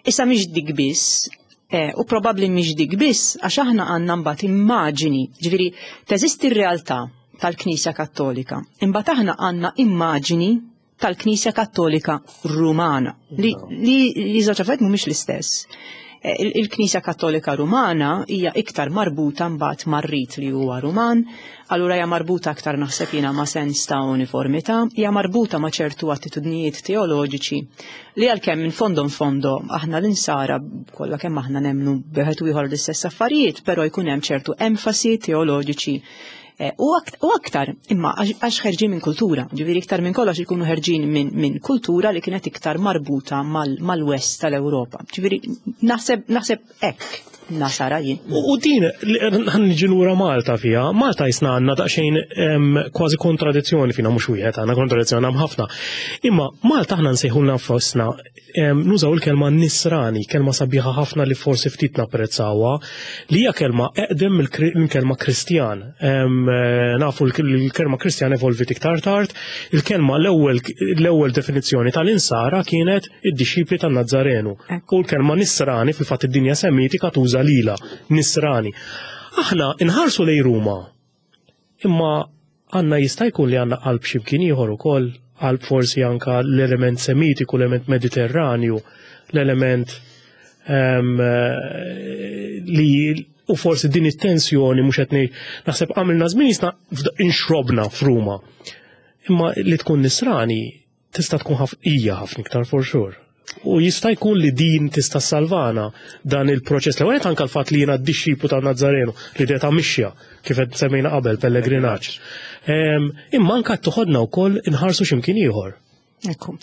issa mhix dik biss, eh, u probabbli mhix dik biss għax aħna għandna mbagħad immaġini, ġifieri teżisti r-realtà tal-Knisja Kattolika. Imbagħad aħna għandna immaġini tal-Knisja Kattolika Rumana li li li żewġ affarijiet mhumiex l-istess. Eh, il-Knisja Kattolika Rumana hija iktar marbuta mbagħad mar-rit li huwa Ruman, allura hija marbuta aktar naħseb jiena ma' sens ta' uniformità, hija marbuta ma' ċertu attitudnijiet teoloġiċi li għalkemm minn fondo fondo aħna l-insara kollha kemm aħna nemmnu wieħed u ieħor l-istess affarijiet, però jkun hemm ċertu enfasi teoloġiċi Eh, u aktar, imma għax ħerġin minn kultura, ġifieri iktar minn kollox ikunu ħerġin minn kultura li kienet iktar marbuta mal-west tal-Ewropa. Ġifieri naħseb naħseb hekk nasara jien. U din, ħa niġi lura Malta fija, Malta jisna għandna daqsxejn kważi kontradizzjoni fina, mhux wieħed għandna kontradizzjoni hemm ħafna. Imma Malta aħna nsejħulna nfusna nużaw il-kelma nisrani, kelma sabiħa ħafna li forsi ftit napprezzawha, li hija kelma eqdem mill-kelma Kristjan. Nafu l-kelma Kristjan evolvit iktar tard, il-kelma l-ewwel l-ewwel definizzjoni tal-insara kienet id-dixxipli tan-Nazzarenu. U l-kelma nisrani fil-fatt id-dinja semitika tuża lila, nisrani. Aħna inħarsu lej Ruma, imma għandna jista' jkun li għandna qalb x'imkien ieħor ukoll, qalb forsi anka l-element semitiku, l-element mediterranju, l-element li u forsi din it-tensjoni mhux qed naħseb għamilna żmien jisna inxrobna f'Ruma. Imma li tkun nisrani tista' tkun hija ħafna iktar for sure. U jista' jkun li din tista' salvana dan il-proċess. L-ewwel anke l-fatt li jiena d-dixxiplu ta' Nazzarenu li deta mixja kif qed semmejna qabel pellegrinaġġ. Imma anke toħodna wkoll inħarsu x'imkien ieħor. Ekku.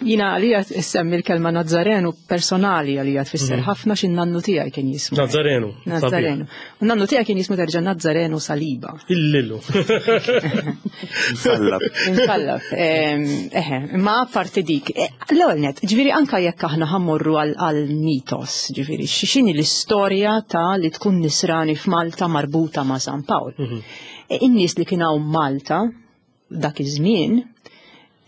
Jiena għalija semmi l-kelma Nazzarenu personali għalija tfisser mhm. ħafna xin nannu tiegħi kien jismu. Nazzarenu. Nazzarenu. U nannu tiegħi kien jismu terġa' Nazzarenu Saliba. Illillu. Insallab. Insallab. Eħe, ma apparti dik. E, l-ewwel net, ġifieri anka jekk aħna ħa mmorru għal mitos, ġifieri x'inhi l-istorja ta' li tkun nisrani f'Malta marbuta ma' San Pawl. Mhm. E, in-nies li kien hawn Malta dak iż-żmien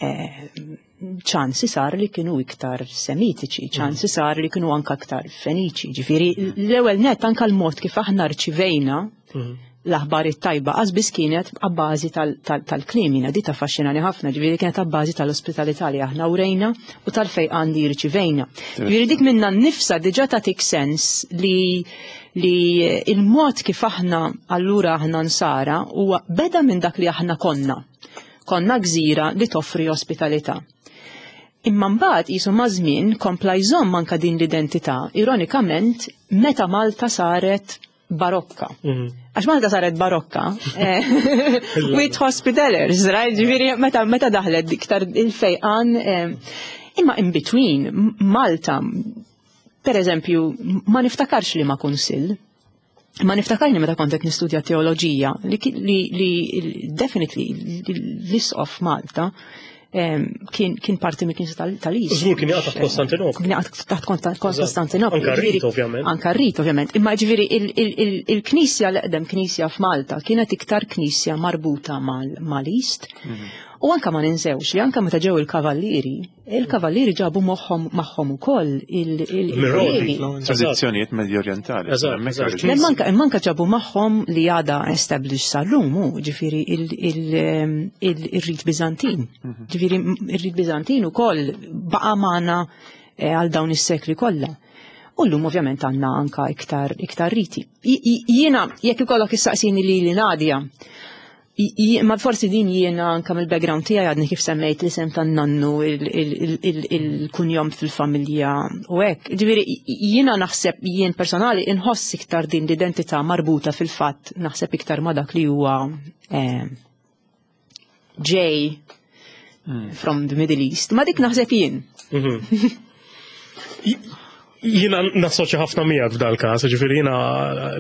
ċansi sar li kienu iktar semitiċi, ċansi sar li kienu anka iktar feniċi. Ġifieri, l-ewwel net anka l-mod kif aħna rċivejna mhm. l-aħbar it-tajba biss kienet abbażi tal-kliem, jiena di taffaxxinani ħafna, ġifieri kienet abbażi tal-ospitalità li aħna urejna u tal-fejqan li rċivejna. Ġifieri dik minna nnifsa diġà tagħtik sens li li il-mod kif aħna allura aħna nsara huwa beda minn dak li aħna konna. Konna gżira li toffri ospitalità. Imma mbagħad qisu maż-żmien kompla jżomm anka din l-identità, ironikament, meta Malta saret barokka. Mhm. Għax Malta saret barokka, eh, with hospitalers, right? Ġifieri meta meta daħlet iktar il-fejqan, eh, imma in between, Malta, per eżempju, ma niftakarx li ma kunsill, ma niftakarni meta kont qed nistudja teoloġija li, li, li definitely l-isqof Malta kien, kien parti mill knisja tal-East. Żgur kien jaqa' taħt Kostantinopli. Kien jaqa' taħt Kostantinopli. Anka rit, ovvjament. Anka rit, ovvjament. Imma ġifieri il-knisja l-eqdem knisja f'Malta kienet iktar knisja marbuta mal-East. Mhm. U anka ma ninsewx li anka meta ġew il-kavallieri, il-kavallieri ġabu moħħhom magħhom ukoll il-Rodi. Tradizzjonijiet Medju Orientali. Eżatt, Hemmhekk eżatt. oriġini. Manka, manka ġabu magħhom li għada established sal-lum, ġifieri il-rit Bizantin. Ġifieri il-rit Bizantin ukoll baqa' magħna eh, għal dawn is-sekli kollha. U llum ovvjament għandna anka iktar, iktar riti. I- i- Jiena, jekk ikollok issaqsini li li Nadia, i- i- ma forsi din jiena anka mill-background tiegħi, għadni kif semmejt l-isem tan-nannu, il-kunjom fil-familja u hekk. Ġifieri jiena naħseb, jien personali inħoss iktar din l-identità marbuta fil-fatt, naħseb iktar ma dak li huwa eh, ġej from the Middle East. Ma dik naħseb jien. Jiena nassoċja ħafna miegħek f'dal każ, ġifieri jiena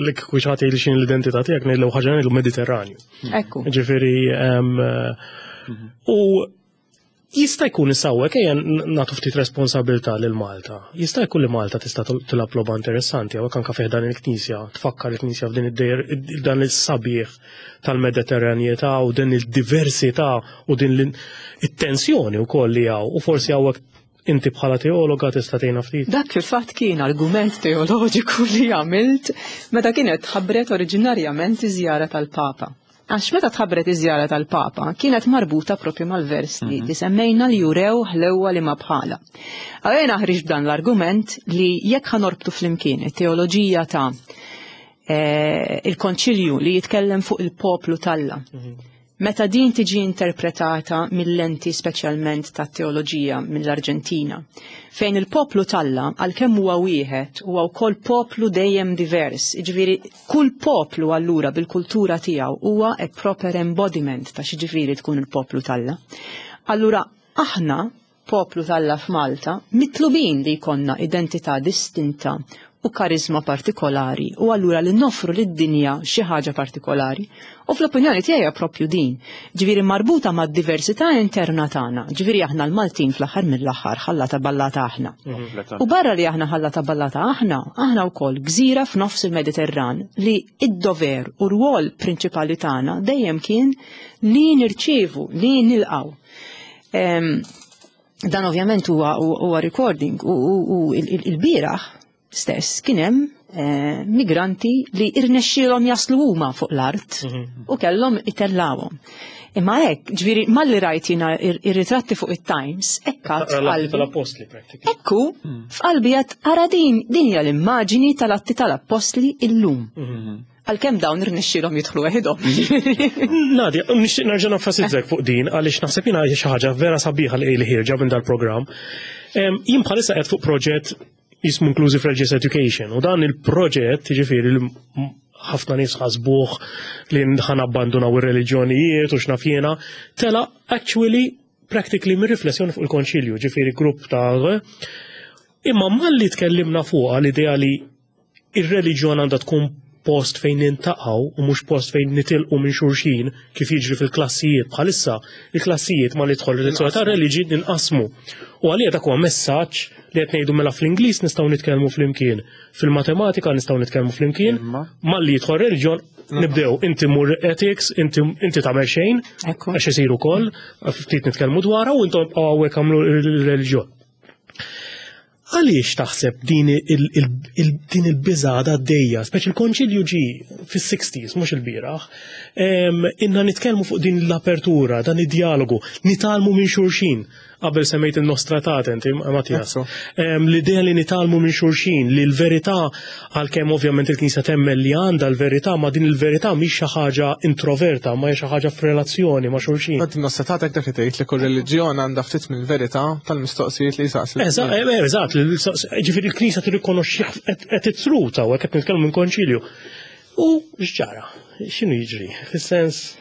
li kieku xi ħadd jgħidli x'inhi l-identità tiegħek, ngħidlu ħaġa, ngħidlu Mediterranju. Ekku. Ġifieri em, u jista' jkun isawwek, ejja nagħtu ftit responsabilità lil Malta. Jista' jkun li Malta tista' tilgħab logħba interessanti hawnhekk anke fih dan il-Knisja, tfakkar il-Knisja f'din id-dejr dan is-sabiħ tal-Mediterranjetà u din il-diversità u din l- it-tensjoni wkoll li hawn, u forsi hawnhekk inti bħala teologa tista' tgħinna ftit. Dak fil-fatt kien argument teoloġiku li għamilt meta kienet tħabbret oriġinarjament iż-żjara tal-Papa. Għax meta tħabbret iż-żjara tal-Papa kienet marbuta propju mal-vers li li semmejna li jurew ħlewwa li ma bħala. Għajna ħriġ b'dan l-argument li jekk ħa norbtu flimkien it-teoloġija ta' eh, il-konċilju li jitkellem fuq il-poplu t'Alla, meta din tiġi interpretata mill-lenti speċjalment ta' teoloġija mill-Arġentina, fejn il-poplu t'Alla, għalkemm huwa wieħed, huwa wkoll poplu dejjem divers, jiġifieri kull poplu allura bil-kultura tiegħu huwa a proper embodiment ta' x'jiġifieri tkun il-poplu t'Alla. Allura aħna, poplu t'Alla f'Malta, mitlubin li jkollna identità distinta u karizma partikolari u allura li noffru lid-dinja xi ħaġa partikolari. U fl-opinjoni tiegħi propju din, ġifieri marbuta mad-diversità interna tagħna, ġifieri aħna l-Maltin fl-aħħar mill-aħħar ħallata ballata aħna. U barra li aħna ħallata ballata aħna, aħna wkoll gżira f'nofs il-Mediterran li id-dover u rwol prinċipali tagħna dejjem kien li nirċievu, li nilqaw. Em, dan ovvjament huwa huwa recording u, u, u il-bieraħ stess kien hemm eh, migranti li irnexxielhom jaslu huma fuq l-art u kellhom itellawhom. Imma hekk, ġifieri malli rajt jiena ir-ritratti fuq it-Times, hekk għad f'qalbi. Tal-apostli practically. Ekku, f'qalbi għad ara din, din hija l-immaġini tal-Atti tal-Appostli illum. Għalkemm dawn irnexxielhom jidħlu weħidhom. Nadia, nixtieq nerġa' nenfasizzak fuq din għaliex naħseb jiena xi ħaġa vera sabiħa li li ħierġa minn dal-programm. Em, Jien bħalissa qed fuq proġett jismu Inclusive Religious Education u dan il-proġett, jiġifieri li ħafna nies ħasbuh li ħa nabbandunaw ir-reliġjonijiet u x'naf jiena, tela actually practically mir riflessjoni fuq il-konċilju, ġifieri grupp ta' imma malli tkellimna fuqha l-idea li ir-reliġjon għandha tkun post fejn niltaqgħu u mhux post fejn nitilqu minn xulxin kif jiġri fil-klassijiet bħalissa, il-klassijiet ma li tidħol il-lezzjoni ta' reliġi ninqasmu. U għalija dak huwa messaġġ li qed ngħidu, mela fl-Ingliż nistgħu nitkellmu flimkien, fil-matematika nistgħu nitkellmu flimkien, Imma? malli jidħol reliġjon nibdew inti mur ethics, inti inti tagħmel xejn, Ekku. għax isiru wkoll, ftit nitkellmu dwarha u intom hawnhekk għamlu il-reliġjon. Għaliex taħseb din il- il- il- din il-biża għaddejja, speċi il-konċilju ġi fis-sixties, mhux il-bieraħ, em, inna nitkellmu fuq din l-apertura, dan id-dialogu, nitgħallmu minn xulxin. Qabel semmejt il-Nostra Aetate, inti, Mattias. Ekku. Em, L-idea li nitgħallmu minn xulxin, li l-verità, għalkemm ovvjament il-Knisja temmen li għandha l-verità, ma din il-verità mhix xi ħaġa introverta, ma hija xi ħaġa f'relazzjoni ma' xulxin. Għad Nostra Aetate dak li tgħid li kull reliġjon għandha ftit mill-verità tal-mistoqsijiet li jsaqsi. Eżatt, eh, eżatt, ġifieri il-Knisja tirrikonoxxi qed truta u qed nitkellmu minn konċilju. U x'ġara? X'inhu jiġri? Fis-sens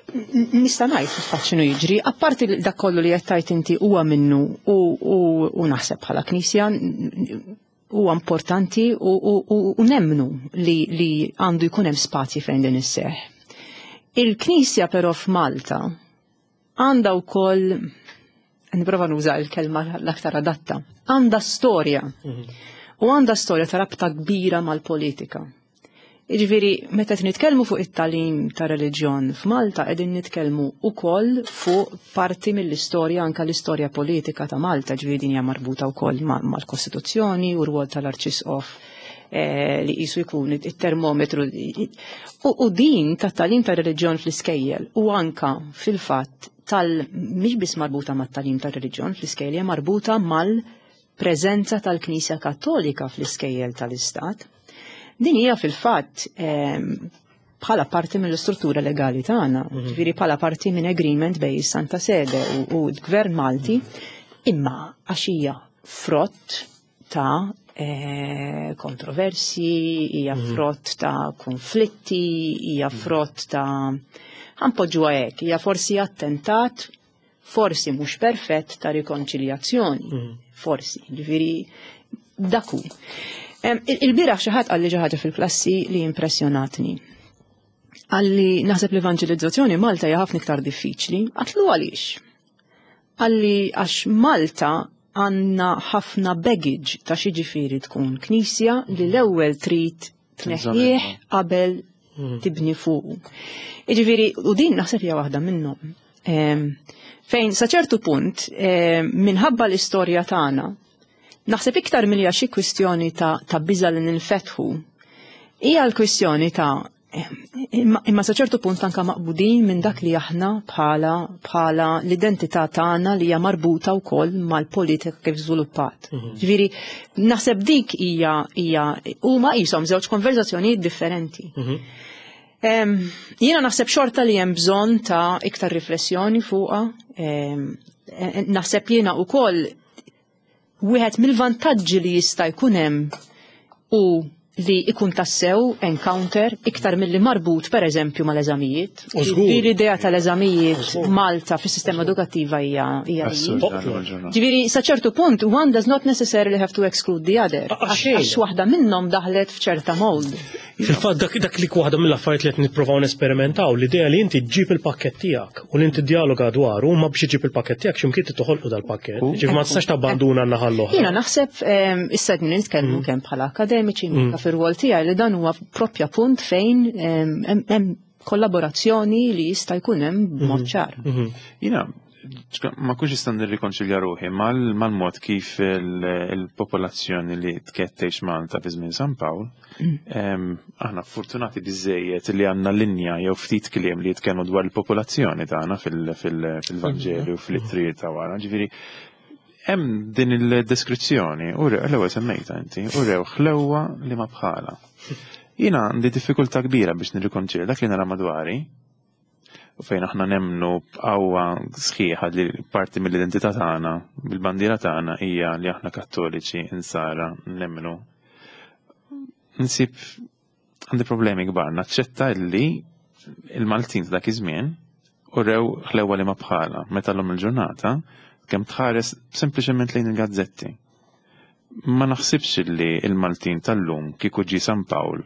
Nista' ngħid fil-fatt x'inhu jiġri, apparti li dak kollu li qed tgħid inti huwa minnu u, u, u naħseb bħala Knisja huwa importanti u, u, u, u nemmnu li, li għandu jkun hemm spazji fejn din isseħ. Il-Knisja però f'Malta għandha wkoll, nipprova nuża l-kelma l-aktar adatta, għandha storja. U għandha storja ta' rabta kbira mal-politika. Jiġifieri, meta nitkellmu fuq it-tagħlim ta' reliġjon f'Malta, qegħdin nitkellmu wkoll fuq parti mill-istorja, anka l-istorja politika ta' Malta, ġifieri din hija marbuta wkoll mal-Kostituzzjoni u r-rwol tal-Arċisqof eh, li qisu jkun it-termometru. U din tat-tagħlim ta' reliġjon fl-iskejjel u anka fil-fatt tal mhix biss marbuta mat-tagħlim ta' reliġjon fl-iskejjel, hija marbuta mal-preżenza tal-Knisja Kattolika fl-iskejjel tal-Istat. Din hija fil-fatt ehm, bħala parti mill-istruttura legali tagħna, mhm. ġifieri bħala parti minn agreement bejn is-Santa Sede u l-Gvern Malti, imma għax hija frott ta' eh, kontroversi, hija mhm. frott ta' konflitti, hija mhm. frott ta' ħa npoġġuha hekk, hija forsi attentat, forsi mhux perfett ta' rikonċiljazzjoni, forsi, ġifieri dak hu. Il-bieraħ xi ħadd qalli xi ħaġa fil-klassi li impressjonatni. Qalli naħseb l-evanġelizzazzjoni Malta hija ħafna iktar diffiċli. Għedtlu għaliex? Qalli għax Malta għandna ħafna baggage ta' x'jiġifieri tkun knisja li l-ewwel trid tneħħih qabel mhm. tibni fuq. Jiġifieri, u din naħseb hija waħda minnhom. Fejn sa ċertu punt, minħabba l-istorja tagħna, naħseb iktar milli xi kwistjoni ta', ta biża li ninfetħu, hija l-kwistjoni ta' imma, imma sa ċertu punt anka maqbudin minn dak li aħna bħala bħala l-identità tagħna li hija marbuta wkoll mal-politika kif żviluppat. Mhm. Ġifieri naħseb dik hija hija huma qishom żewġ konverzazzjonijiet differenti. Mhm. Jiena naħseb xorta li hemm bżonn ta' iktar riflessjoni fuqha. Naħseb jiena wkoll wieħed mill-vantaġġi li jista' jkun hemm u li ikun tassew encounter iktar milli marbut per eżempju mal-eżamijiet. L-idea tal-eżamijiet Malta fis-sistema edukattiva hija hija. Ġifieri sa ċertu punt one does not necessarily have to exclude the other. Għax waħda minnhom daħlet f'ċerta mold. Fil-fatt dak dak li waħda mill-affarijiet li qed nippruvaw nesperimentaw, l-idea li inti ġġib il-pakkett tiegħek u li inti dialoga dwaru, ma biex iġib il-pakkett tiegħek x'imkien toħolqu dal-pakkett. Ġifieri ma tistax tabbanduna n-naħa l-oħra. Jiena naħseb issa qed nitkellmu mm. kemm bħala akademiċi mm. fir-rwol tiegħi li dan huwa proprja punt fejn hemm kollaborazzjoni li jista' jkun hemm b'mod mm-hmm. ċar. Mm-hmm. Jiena ma kunx nista' nirrikonċilja ruħi mal-mod kif il-popolazzjoni li tkettejx Malta fi żmien San Pawl, mm. aħna fortunati biżejjed li għandna linja jew ftit kliem li jitkellmu dwar il-popolazzjoni tagħna fil-Vanġeli u fl-ittri ta' wara. Ġifieri hemm din il-deskrizzjoni, u l-ewwel semmejta inti, u rew ħlewwa li ma bħala. Jiena għandi diffikultà kbira biex nirrikonċilja dak li nara madwari u fejn aħna nemnu b'qawwa sħiħa li parti mill-identità tagħna, bil-bandiera tagħna hija li aħna Kattoliċi insara nemmnu. Nsib għandi problemi kbar, naċċetta li il-Maltin ta' dak iż-żmien u rew ħlewwa li ma bħala, meta l il-ġurnata kemm tħares sempliċement lejn il-gazzetti. Ma naħsibx li il-Maltin tal-lum kieku ġi San Pawl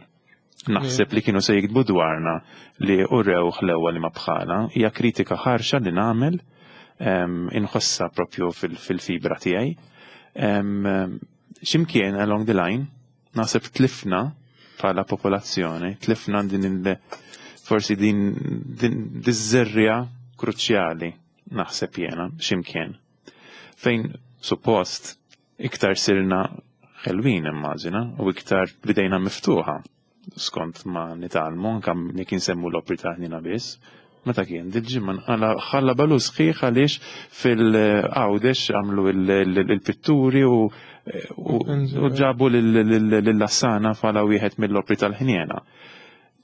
naħseb li kienu se jiktbu dwarna li urew ħlewwa li ma bħala, hija kritika ħarxa li nagħmel inħossa propju fil-fibra tiegħi. Ximkien along the line, naħseb tlifna bħala popolazzjoni, tlifna din il forsi din din kruċjali naħseb jena ximkien. Fejn suppost iktar sirna ħelwin immaġina u iktar bidejna miftuħa skont ma nitgħallmu, anka jekk insemmu l-opri ta' ħnina biss. Meta kien dil-ġimgħa ħalla balu sħiħ għaliex fil-Għawdex għamlu il-pitturi u ġabu l-Lassana bħala wieħed mill-opri tal-ħniena.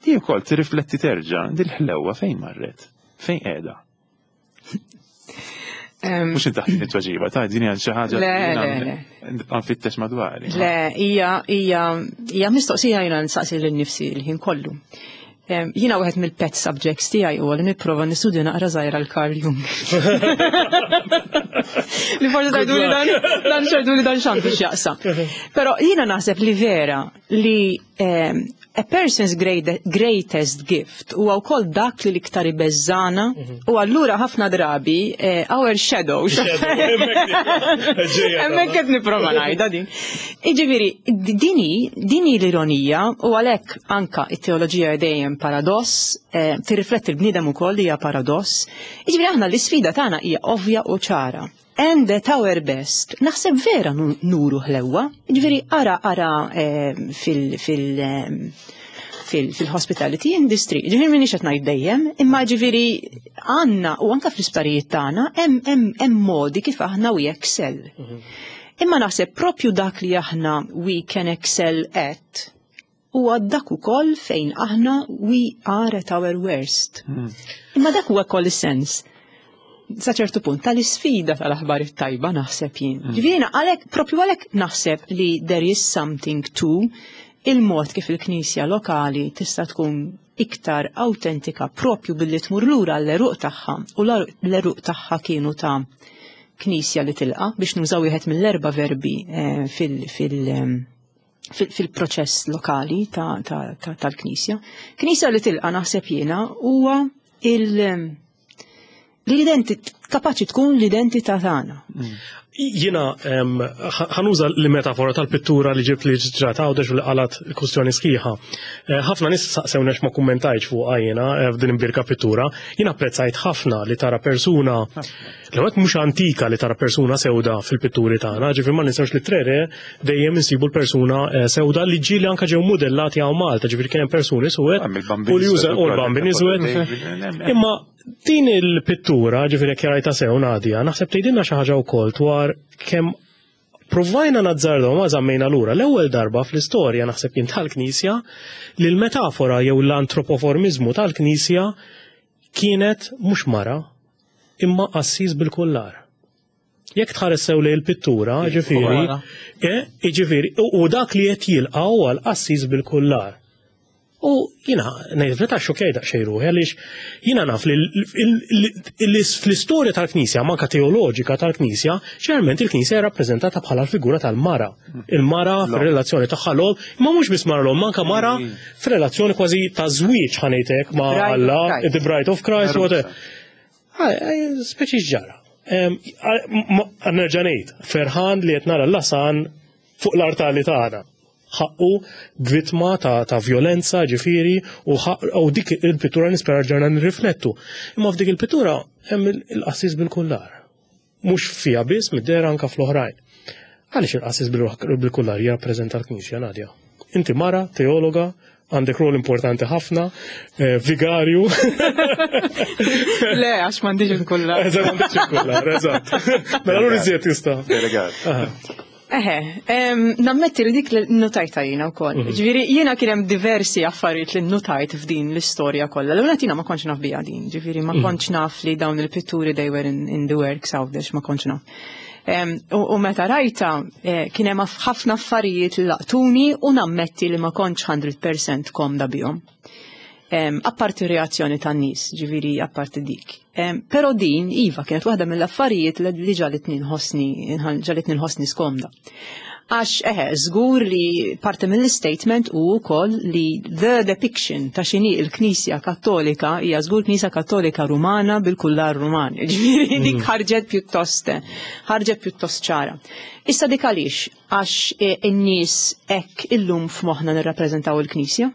Di wkoll tirrifletti terġa' dil-ħlewwa fejn marret, fejn qiegħda. Mux inti taħt it-tweġiba, ta' din hija xi ħaġa Le, le, le. nibqa' nfittex madwari. Le, hija hija hija mistoqsija jiena nsaqsi lil nifsi l-ħin kollu. Em, Jiena wieħed mill-pet subjects tiegħi huwa li nipprova nistudja naqra żgħira l-Carl Jung. Li forsi tgħidu li dan dan x'għidu li dan x'għandu x'jaqsam. Però jiena naħseb li vera Li um, a person's great, greatest gift huwa wkoll dak li l-iktar ibeżżana u allura ħafna drabi eh, our shadows. Hemmhekk qed nipprova ngħidha din. Jiġifieri, dini, dini l-ironija u għalhekk anka it-teoloġija dejjem paradoss, eh, tirrifletti l-bniedem ukoll li hija paradoss. Jiġifieri aħna l-isfida tagħna hija ovvja u ċara. And at our best, naħseb vera nu- nuru ħlewwa. Jiġifieri ara ara eh, fil fil eh, fil- fil-hospitality industry. Ġifieri minix qed ngħid dejjem, imma ġifieri għandna u anka fl-isptarijiet tagħna hemm hemm hemm modi kif aħna we excel. Imma naħseb propju dak li aħna we can excel at huwa dak ukoll fejn aħna we are at our worst. Imma dak huwa wkoll is-sens sa ċertu punt tal-isfida tal-aħbar it-tajba naħseb jien. Ġifieri għalhekk propju għalhekk naħseb li there is something to il-mod kif il-Knisja lokali tista' tkun iktar autentika propju billi tmur lura l-għeruq tagħha u l-għeruq tagħha kienu ta' Knisja li tilqa biex nużaw wieħed mill-erba' verbi eh, fil- fil- em, fil- fil-proċess lokali ta- ta- ta- tal-Knisja. Knisja li tilqa naħseb jiena huwa il- l-identità kapaċi tkun l-identità tagħna. Jiena em, ħa nuża l-metafora tal-pittura li ġibt li ġrat Għawdex u li qalat il-kustjoni sħiħa. Eh, Ħafna nies saqsewnex ma kummentajx fuq jiena eh, f'din imbirka pittura. Jiena apprezzajt ħafna li tara persuna l-għet mhux antika li tara persuna sewda fil-pitturi tagħna, ġifieri ma ninsewx li Tre Re dejjem insibu l-persuna eh, sewda li ġieli anka ġew modellati hawn Malta, ġifieri kien hemm persuni suwed u li juża u l-Bambin iswed. Imma din il-pittura, ġifieri jekk rajta sew Nadia, naħseb tgħidilna xi ħaġa wkoll dwar kemm provajna nazzardaw ma żammejna lura l-ewwel darba fl-istorja naħseb jien tal-Knisja li l-metafora jew l-antropoformizmu tal-Knisja kienet mhux mara imma qassis bil-kullar. Jekk tħares sew lejn il-pittura, ġifieri, eh, ġifieri, u u dak li qed jilqa' huwa l-qassis bil-kullar. U jina, ngħid meta xokej daqsxejn ruħi, għaliex jina naf li fl-istorja tal-Knisja, manka teoloġika tal-Knisja, ġeneralment il-Knisja rappreżentata bħala l-figura tal-mara. Il-mara fir-relazzjoni tagħha l imma mhux biss mara l manka mara fir-relazzjoni kważi ta' żwieġ ħa ngħidlek ma' Alla, the bride of Christ, whatever. Speċi ġara. Nerġa' ngħid, ferħan li qed nara l-lasan fuq l-artali tagħna ħaqqu vittma ta', ta' violenza ġifieri u, u dik il-pittura nispera ġarna nirriflettu. Imma f'dik il-pittura hemm il-qassis bil-kullar. Mhux fija biss mid-dehra anka fl-oħrajn. Għaliex il-qassis bil-kullar jirrappreżenta l-Knisja, Nadia? Inti mara, teologa, għandek rol importanti ħafna, eh, vigarju. Le, għax m'għandix il-kullar. Eżatt, m'għandix il-kullar, eżatt. Mela allura iżjed jista'. Delegat. Eħe, nammetti li dik li notajta jiena wkoll. Mhm. Ġifieri, jiena kien hemm diversi affarijiet li notajt f'din l-istorja kollha. L-ewwel jiena ma kontx naf biha din, ġifieri ma mhm. kontx naf li dawn il-pitturi they were in, in the works Għawdex, ma kontx naf. U meta rajta eh, kien hemm ħafna affarijiet li laqtuni u nammetti li ma kontx mija fil-mija komda bihom. Apparti reazzjoni tan-nies, ġifieri apparti dik. Però din, iva, kienet waħda mill-affarijiet li ġagħlitni nħossni, ġagħlitni nħossni skomda. Għax, eħe, żgur li parti mill-statement u wkoll li the depiction ta' x'inhi il-Knisja Kattolika hija żgur Knisja Kattolika Rumana bil-kullar Ruman. Ġifieri dik mm. ħarġet pjuttost ħarġet pjuttost ċara. Issa dik għaliex għax eh, in-nies hekk illum f'moħħna nirrappreżentaw il-Knisja.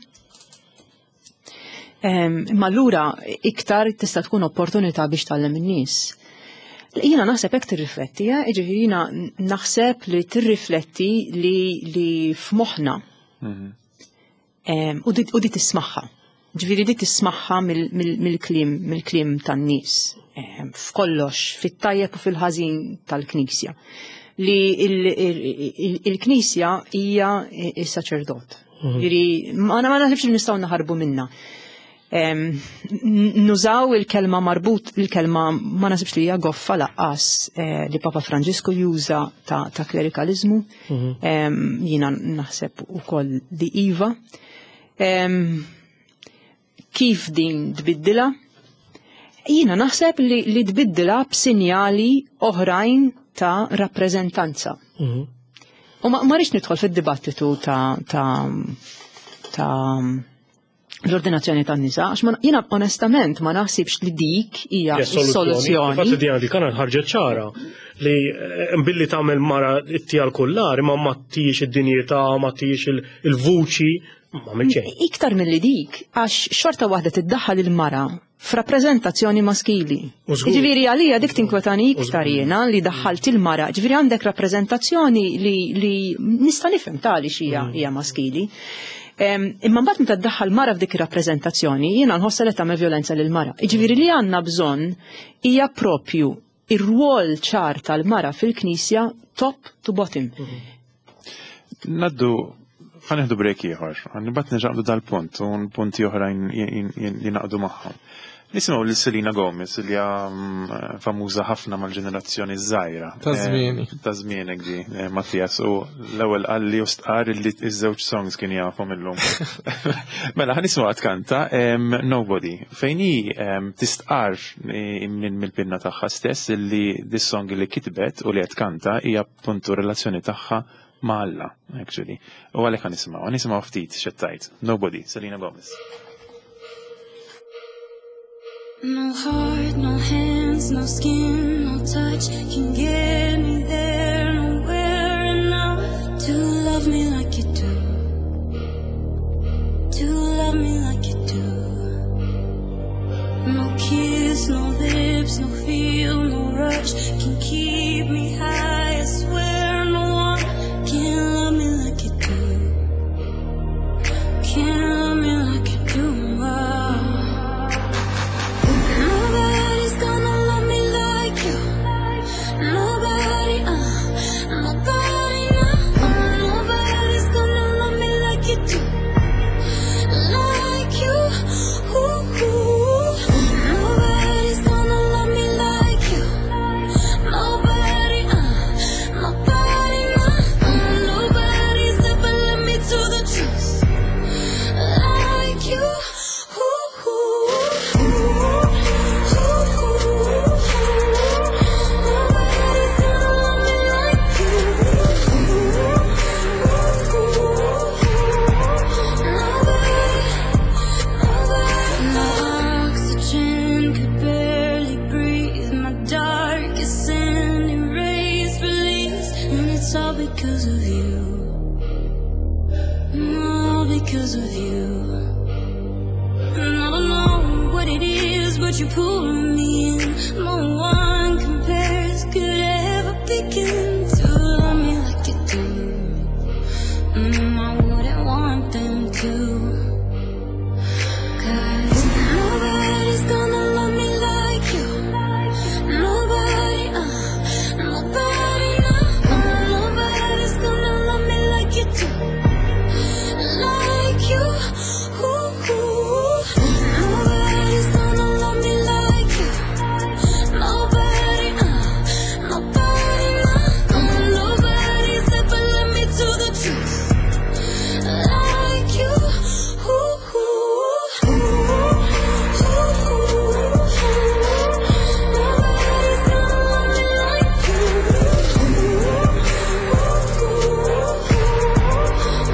Imma allura iktar tista' tkun opportunità biex tgħallem in-nies. Jiena naħseb hekk tirrifletti, eh? Ġifieri jiena naħseb li tirrifletti li, li f'moħħna mhm. u di tismagħha. Ġifieri di tismagħha mill-kliem mill-kliem tan-nies f'kollox, fit-tajjeb u fil-ħażin tal-Knisja. Li il-Knisja hija il-saċerdot. Mhm. Ġifieri ma naħsibx li nistgħu naħarbu minna. Nużaw il-kelma marbut, il-kelma ma naħsibx li hija goffa lanqas eh, li Papa Franġisku juża ta', ta klerikalizmu. Mhm. Jiena naħseb ukoll li iva. Kif din tbiddila? Jiena naħseb li, li tbiddila b'sinjali oħrajn ta' rappreżentanza. Mhm. U ma ma rridx nidħol fid-dibattitu ta' ta' ta' l-ordinazzjoni tan-nisa, għax ma- jiena onestament ma naħsibx li dik hija s-soluzzjoni. Infatti Diana Buchanan ħarġet ċara li eh, billi tagħmel mara ittija l-kullar imma ma tijiex id-dinjità, ma tijiex il- il-vuċi, ma xejn. Iktar mill-li dik, għax xorta waħda tiddaħħal il-mara f'rappreżentazzjoni maskili. U żgur. Ġifieri għalija dik tinkwetani iktar żgur. jiena li daħħalt il-mara, ġifieri għandek rappreżentazzjoni li, li nista' nifhem tali xija hija maskili. Em, Imma mbagħad meta ddaħħal mara f'dik ir-rappreżentazzjoni, jiena nħossa li tagħmel violenza lil mara. Jiġifieri li għandna bżonn hija propju ir-rwol ċar tal-mara fil-Knisja top to bottom. Naddu, ħa nieħdu break ieħor, mbagħad nerġgħu dal-punt u punti oħrajn li naqdu magħhom. Nisimgħu lil Selena Gomez li hija mm, famuża ħafna mal-ġenerazzjoni żgħira. Ta' żmieni. Eh, Ta' żmienek di, eh, Mattias, u l-ewwel qalli u stqar li iż-żewġ songs kien jafhom illum. Mela, ħa nisimgħu tkanta em, Nobody, fejn hi em, tistqar eh, minn mill-pinna tagħha stess li dis-song li kitbet u li qed tkanta hija puntu relazzjoni tagħha ma' Alla, actually. U għalhekk ħa nisimgħu, ħa nisimgħu ftit x'tgħid. Nobody, Selena Gomez. No heart, no hands, no skin, no touch can get me there, nowhere enough to love me like you do. To love me like you do. No kiss, no lips, no feel, no rush can keep me high. I swear no one can love me like you do. Can't love me like you do. Nobody's gonna love me like you. Nobody, uh, nobody, no, nobody's gonna love me like you do. Like you, ooh, ooh. Nobody's gonna love me like you. Nobody, uh, nobody, no, nobody's ever led me to the truth. Like you, ooh, ooh, ooh, ooh. Nobody's gonna love me like you. Nobody, nobody. My oxygen could barely breathe. My darkest sin erased, released, and it's all because of you. All because of you. And I don't know what it is, but you pull me in. No one compares, could ever begin to love me like you do. Mm, I wouldn't want them to. 'Cause nobody's gonna love me like you. Nobody, uh, nobody, no, nobody's gonna love me like you do. Like you, ooh, ooh. Nobody's gonna love me like you. Nobody, uh, nobody, no, nobody's ever led me to the truth. Like you, ooh, ooh, ooh, ooh. Nobody's gonna love me like you. Nobody,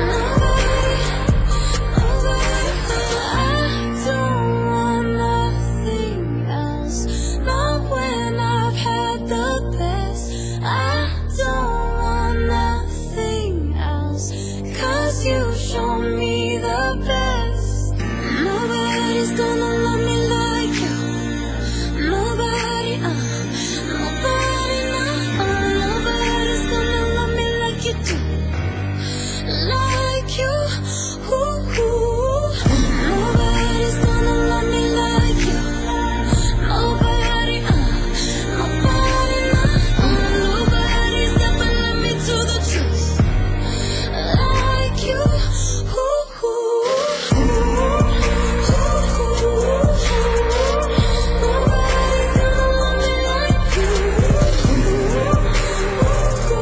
nobody. I don't want nothing else. Not when I've had the best. I don't want nothing else. 'Cause you shown me the best. Nobody's gonna love me like you. Nobody, uh, nobody, no, nobody's gonna love me like you do. Like you, ooh, ooh. Nobody's gonna love me like you. Nobody, uh, nobody, no, nobody's ever led me to the truth. Like you, ooh, ooh, ooh, ooh. Nobody's gonna love me like you. Nobody,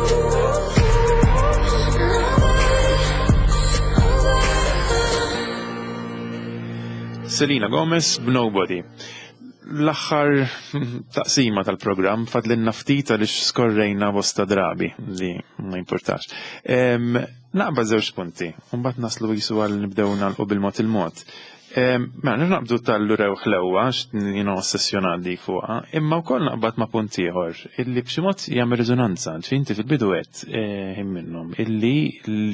nobody. Selena Gomez b'Nobody. L-aħħar taqsima tal-programm, fadlinna ftit għaliex skorrejna bosta drabi li ma importax. Em, Naqbad żewġ punti, u mbagħad naslu jisu għal nibdew nagħlqu bil-mod il-mod. Em, Mela, naqbdu tal-lurew ħlewwa, jiena ossessjonat dik fuqha, imma wkoll naqbad ma' punt ieħor illi b'xi mod jagħmel riżonanza, ġifieri inti fil-bidu għedt eh, minnhom illi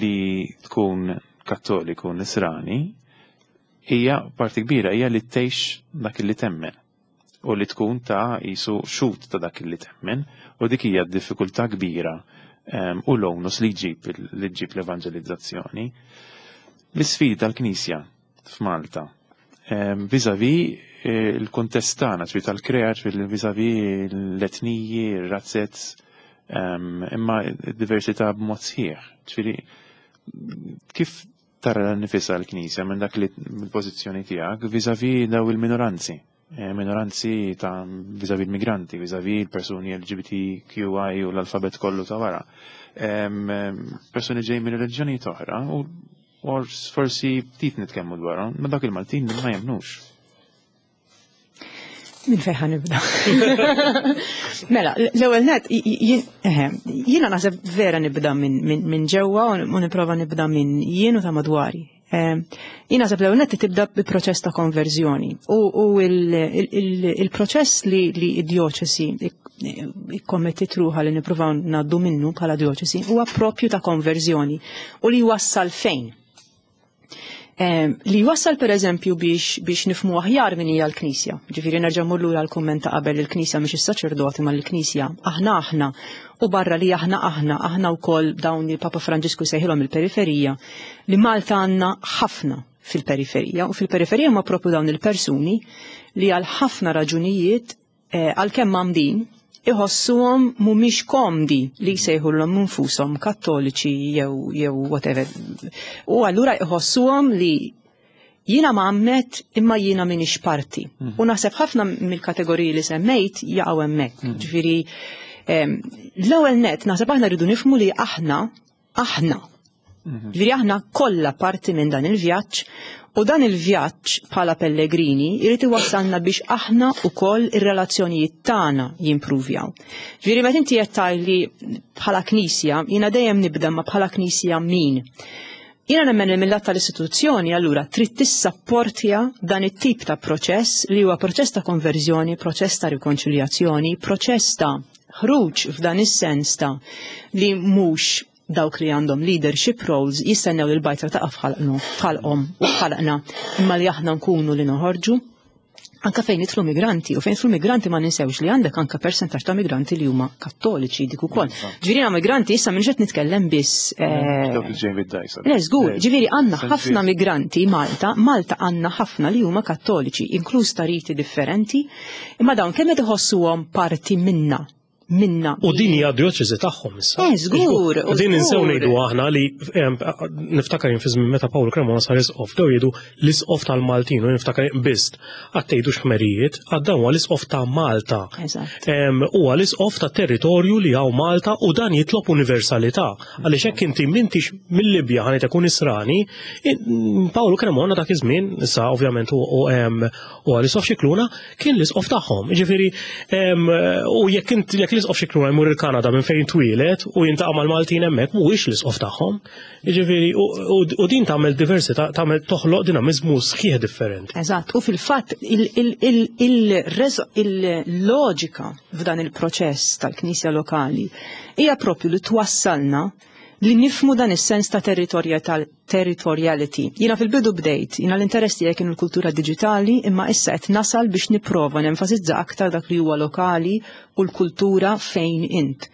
li tkun Kattoliku Nisrani hija parti kbira hija li tgħix dak li temmen u li tkun ta' jisu xhud ta' dak li temmen, u dik hija diffikultà kbira em, u l-onus li ġib li ġib l-evanġelizzazzjoni. L-isfidi tal-Knisja f'Malta em, vis-à-vis eh, il-kuntest tagħna, ġifieri tal-Krea, ġifieri vis-à-vis l-etniji, ir-razzez, em, imma d-diversità b'mod sħiħ. Ġifieri kif tara nifisha l-Knisja minn dak li mill-pożizzjoni tiegħek vis-à-vis daw il-minoranzi? Eh, Minoranzi ta' vis-à-vis il-migranti, vis-à-vis il-persuni L G B T Q I u l-alfabet kollu ta' wara. Em, em, Persuni ġej minn reliġjonijiet oħra u u forsi ftit nitkellmu dwarhom, ma dak il-Maltin li ma jemmnux. Minn fejn ħa nibda? Mela, l-ewwel net, eħe, jiena naħseb vera nibda minn min, min ġewwa u nipprova nibda minn jien u ta' madwari. Eh, Jien naħseb l-ewwel net tibda bi proċess ta' konverżjoni u, u il-proċess li li id-djoċesi ikkommettit ruħha li nippruvaw ngħaddu minnu bħala djoċesi huwa propju ta' konverżjoni u li wassal fejn? Eh, li wassal, per eżempju, biex, biex nifhmu aħjar min hija l-Knisja. Ġifieri nerġa' mmur lura l-kumment ta' qabel, il-Knisja mhix is-saċerdoti ma l-Knisja aħna aħna, u barra li aħna aħna, aħna wkoll dawn il Papa Franġisku sejħilhom il-periferija, li Malta għandna ħafna fil-periferija, u fil-periferija ma propju dawn il-persuni li għal ħafna raġunijiet, eh, għalkemm għamdin, iħossuhom mhumiex komdi li jsejħulhom infushom Kattoliċi jew jew whatever. U allura iħossuhom li jiena mgħammed imma jiena minix parti. Mm. U naħseb ħafna mill-kategoriji li semmejt jaqgħu hemmhekk. Mm. Ġifieri l-ewwel net naħseb aħna rridu nifhmu li aħna aħna. Mhm. Ġifieri aħna kollha parti minn dan il-vjaġġ, u dan il-vjaġġ bħala pellegrini jrid iwassalna biex aħna wkoll ir-relazzjonijiet tagħna jimpruvjaw. Ġifieri meta inti qed li bħala Knisja, jiena dejjem nibda ma bħala Knisja min. Jiena nemmen li mill-lat tal-istituzzjoni allura trid tissapportja dan it-tip ta' proċess li huwa proċess ta' konverżjoni, proċess ta' rikonċiljazzjoni, proċess ta' ħruġ f'dan is-sens ta' li mhux dawk li għandhom leadership roles jistennew li l-bajtra ta' f'ħalqhom u f'ħalqna, imma li aħna nkunu li noħorġu anka fejn jidħlu migranti, u fejn jidħlu migranti ma ninsewx li għandek anka persentaġġ ta' migranti li huma Kattoliċi dik ukoll. Ġifieri migranti issa minn qed nitkellem biss. Eh, le, żgur, ġifieri għandna ħafna migranti Malta, Malta għandna ħafna li huma Kattoliċi, inkluż ta' riti differenti, imma dawn kemm qed iħossuhom parti minna minna. U din hija djoċesi tagħhom issa. Eh, żgur. U din insew ngħidu aħna li niftakar fi żmien meta Paul Cremona sar isqof, dew jgħidu l-isqof tal-Maltin, u niftakar biss għad tgħidux ħmerijiet, għad dan huwa l-isqof ta' Malta. Huwa l-isqof ta' territorju li hawn Malta, u dan jitlob universalità. Għaliex hekk inti m'intix mill-Libja ħa ikun Nisrani, Paolo Cremona dak iż-żmien, issa ovvjament u l-isqof Scicluna kien l-isqof tagħhom. Ġifieri u jekk int jekk l-isqof Scicluna jmur il-Kanada minn fejn twieled u jiltaqa' mal-Maltin hemmhekk, mhuwiex l-isqof tagħhom. Jiġifieri u din tagħmel diversità, tagħmel toħloq dinamizmu sħiħ differenti. Eżatt, u fil-fatt il-loġika f'dan il-proċess tal-Knisja lokali hija propju li twassalna li nifhmu dan is-sens ta' territoriality. Jiena fil-bidu bdejt, jiena l-interess tiegħi kienu l-kultura digitali, imma issa qed nasal biex nipprova nenfasizza aktar dak li huwa lokali u l-kultura fejn int.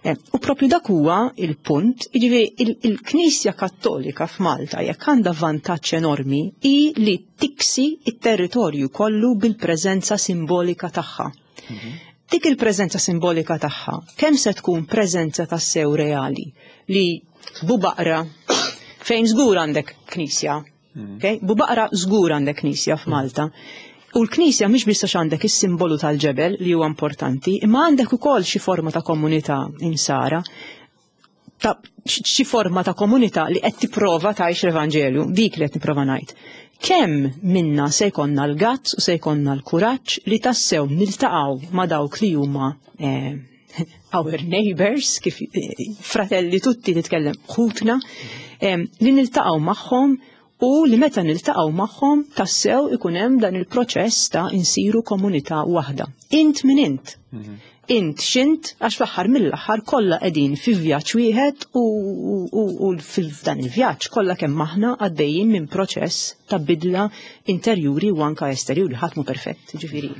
Eh, u propju dak huwa il-punt, jiġifieri il-Knisja Kattolika f'Malta jekk għandha vantaġġ enormi i li tiksi it-territorju kollu bil-preżenza simbolika tagħha. Mhm. Dik il-preżenza simbolika tagħha, kemm se tkun preżenza tassew reali li Bubaqra, fejn żgur għandek knisja, mm. okay? Bubaqra żgur għandek knisja f'Malta. U l-knisja mhix biss għax għandek is-simbolu tal-ġebel li huwa importanti, imma għandek ukoll xi forma ta' komunità insara, ta' xi forma ta' komunità li qed tipprova tgħix l-Evanġelju, dik li qed nipprova ngħid. Kemm minna se jkollna l-guts u se jkollna l-kuraġġ li tassew niltaqgħu ma' dawk li huma eh, our neighbors, kif eh, Fratelli Tutti titkellem ħutna, eh, li niltaqgħu magħhom u li meta niltaqgħu magħhom tassew ikun hemm dan il-proċess ta' insiru komunità waħda. Int min int. Int x'int, għax fl-aħħar mill-aħħar kollha qegħdin fi vjaġġ wieħed u, u, u f'dan il-vjaġġ kollha kemm aħna għaddejjin minn proċess ta' bidla interjuri u anka esterjuri, ħadd mhu perfett, ġifieri.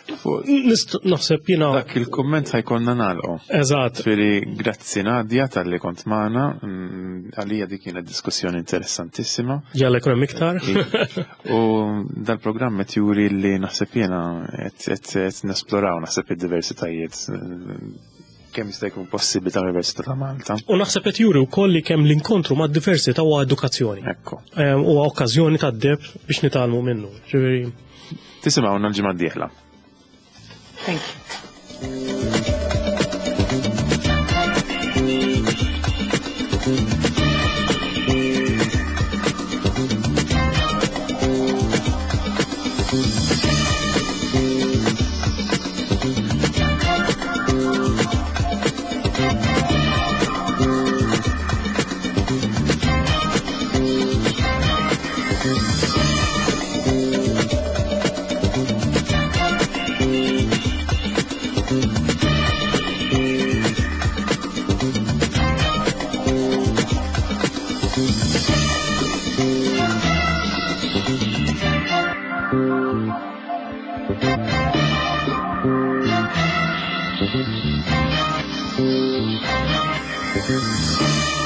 Nist naħseb jiena Dak il-kumment ħa jkollna nagħlqu. Eżatt. Ġifieri, grazzi Nadia talli kont magħna, mm, għalija dik kienet diskussjoni interessantissima. Jalla jkun hemm iktar. U dal-programm qed juri li naħseb jiena qed qed nesploraw naħseb id-diversitajiet eh, kemm jista' jkun possibbli tal-Università ta' Malta. U naħseb qed juri wkoll li kemm l-inkontru ma' diversità huwa edukazzjoni. Ekku. Eh, Huwa okkażjoni tad-deheb biex nitgħallmu minnu. Ġifieri Tisimgħuna l-ġimgħa d-dieħla. Thank you. Thank you.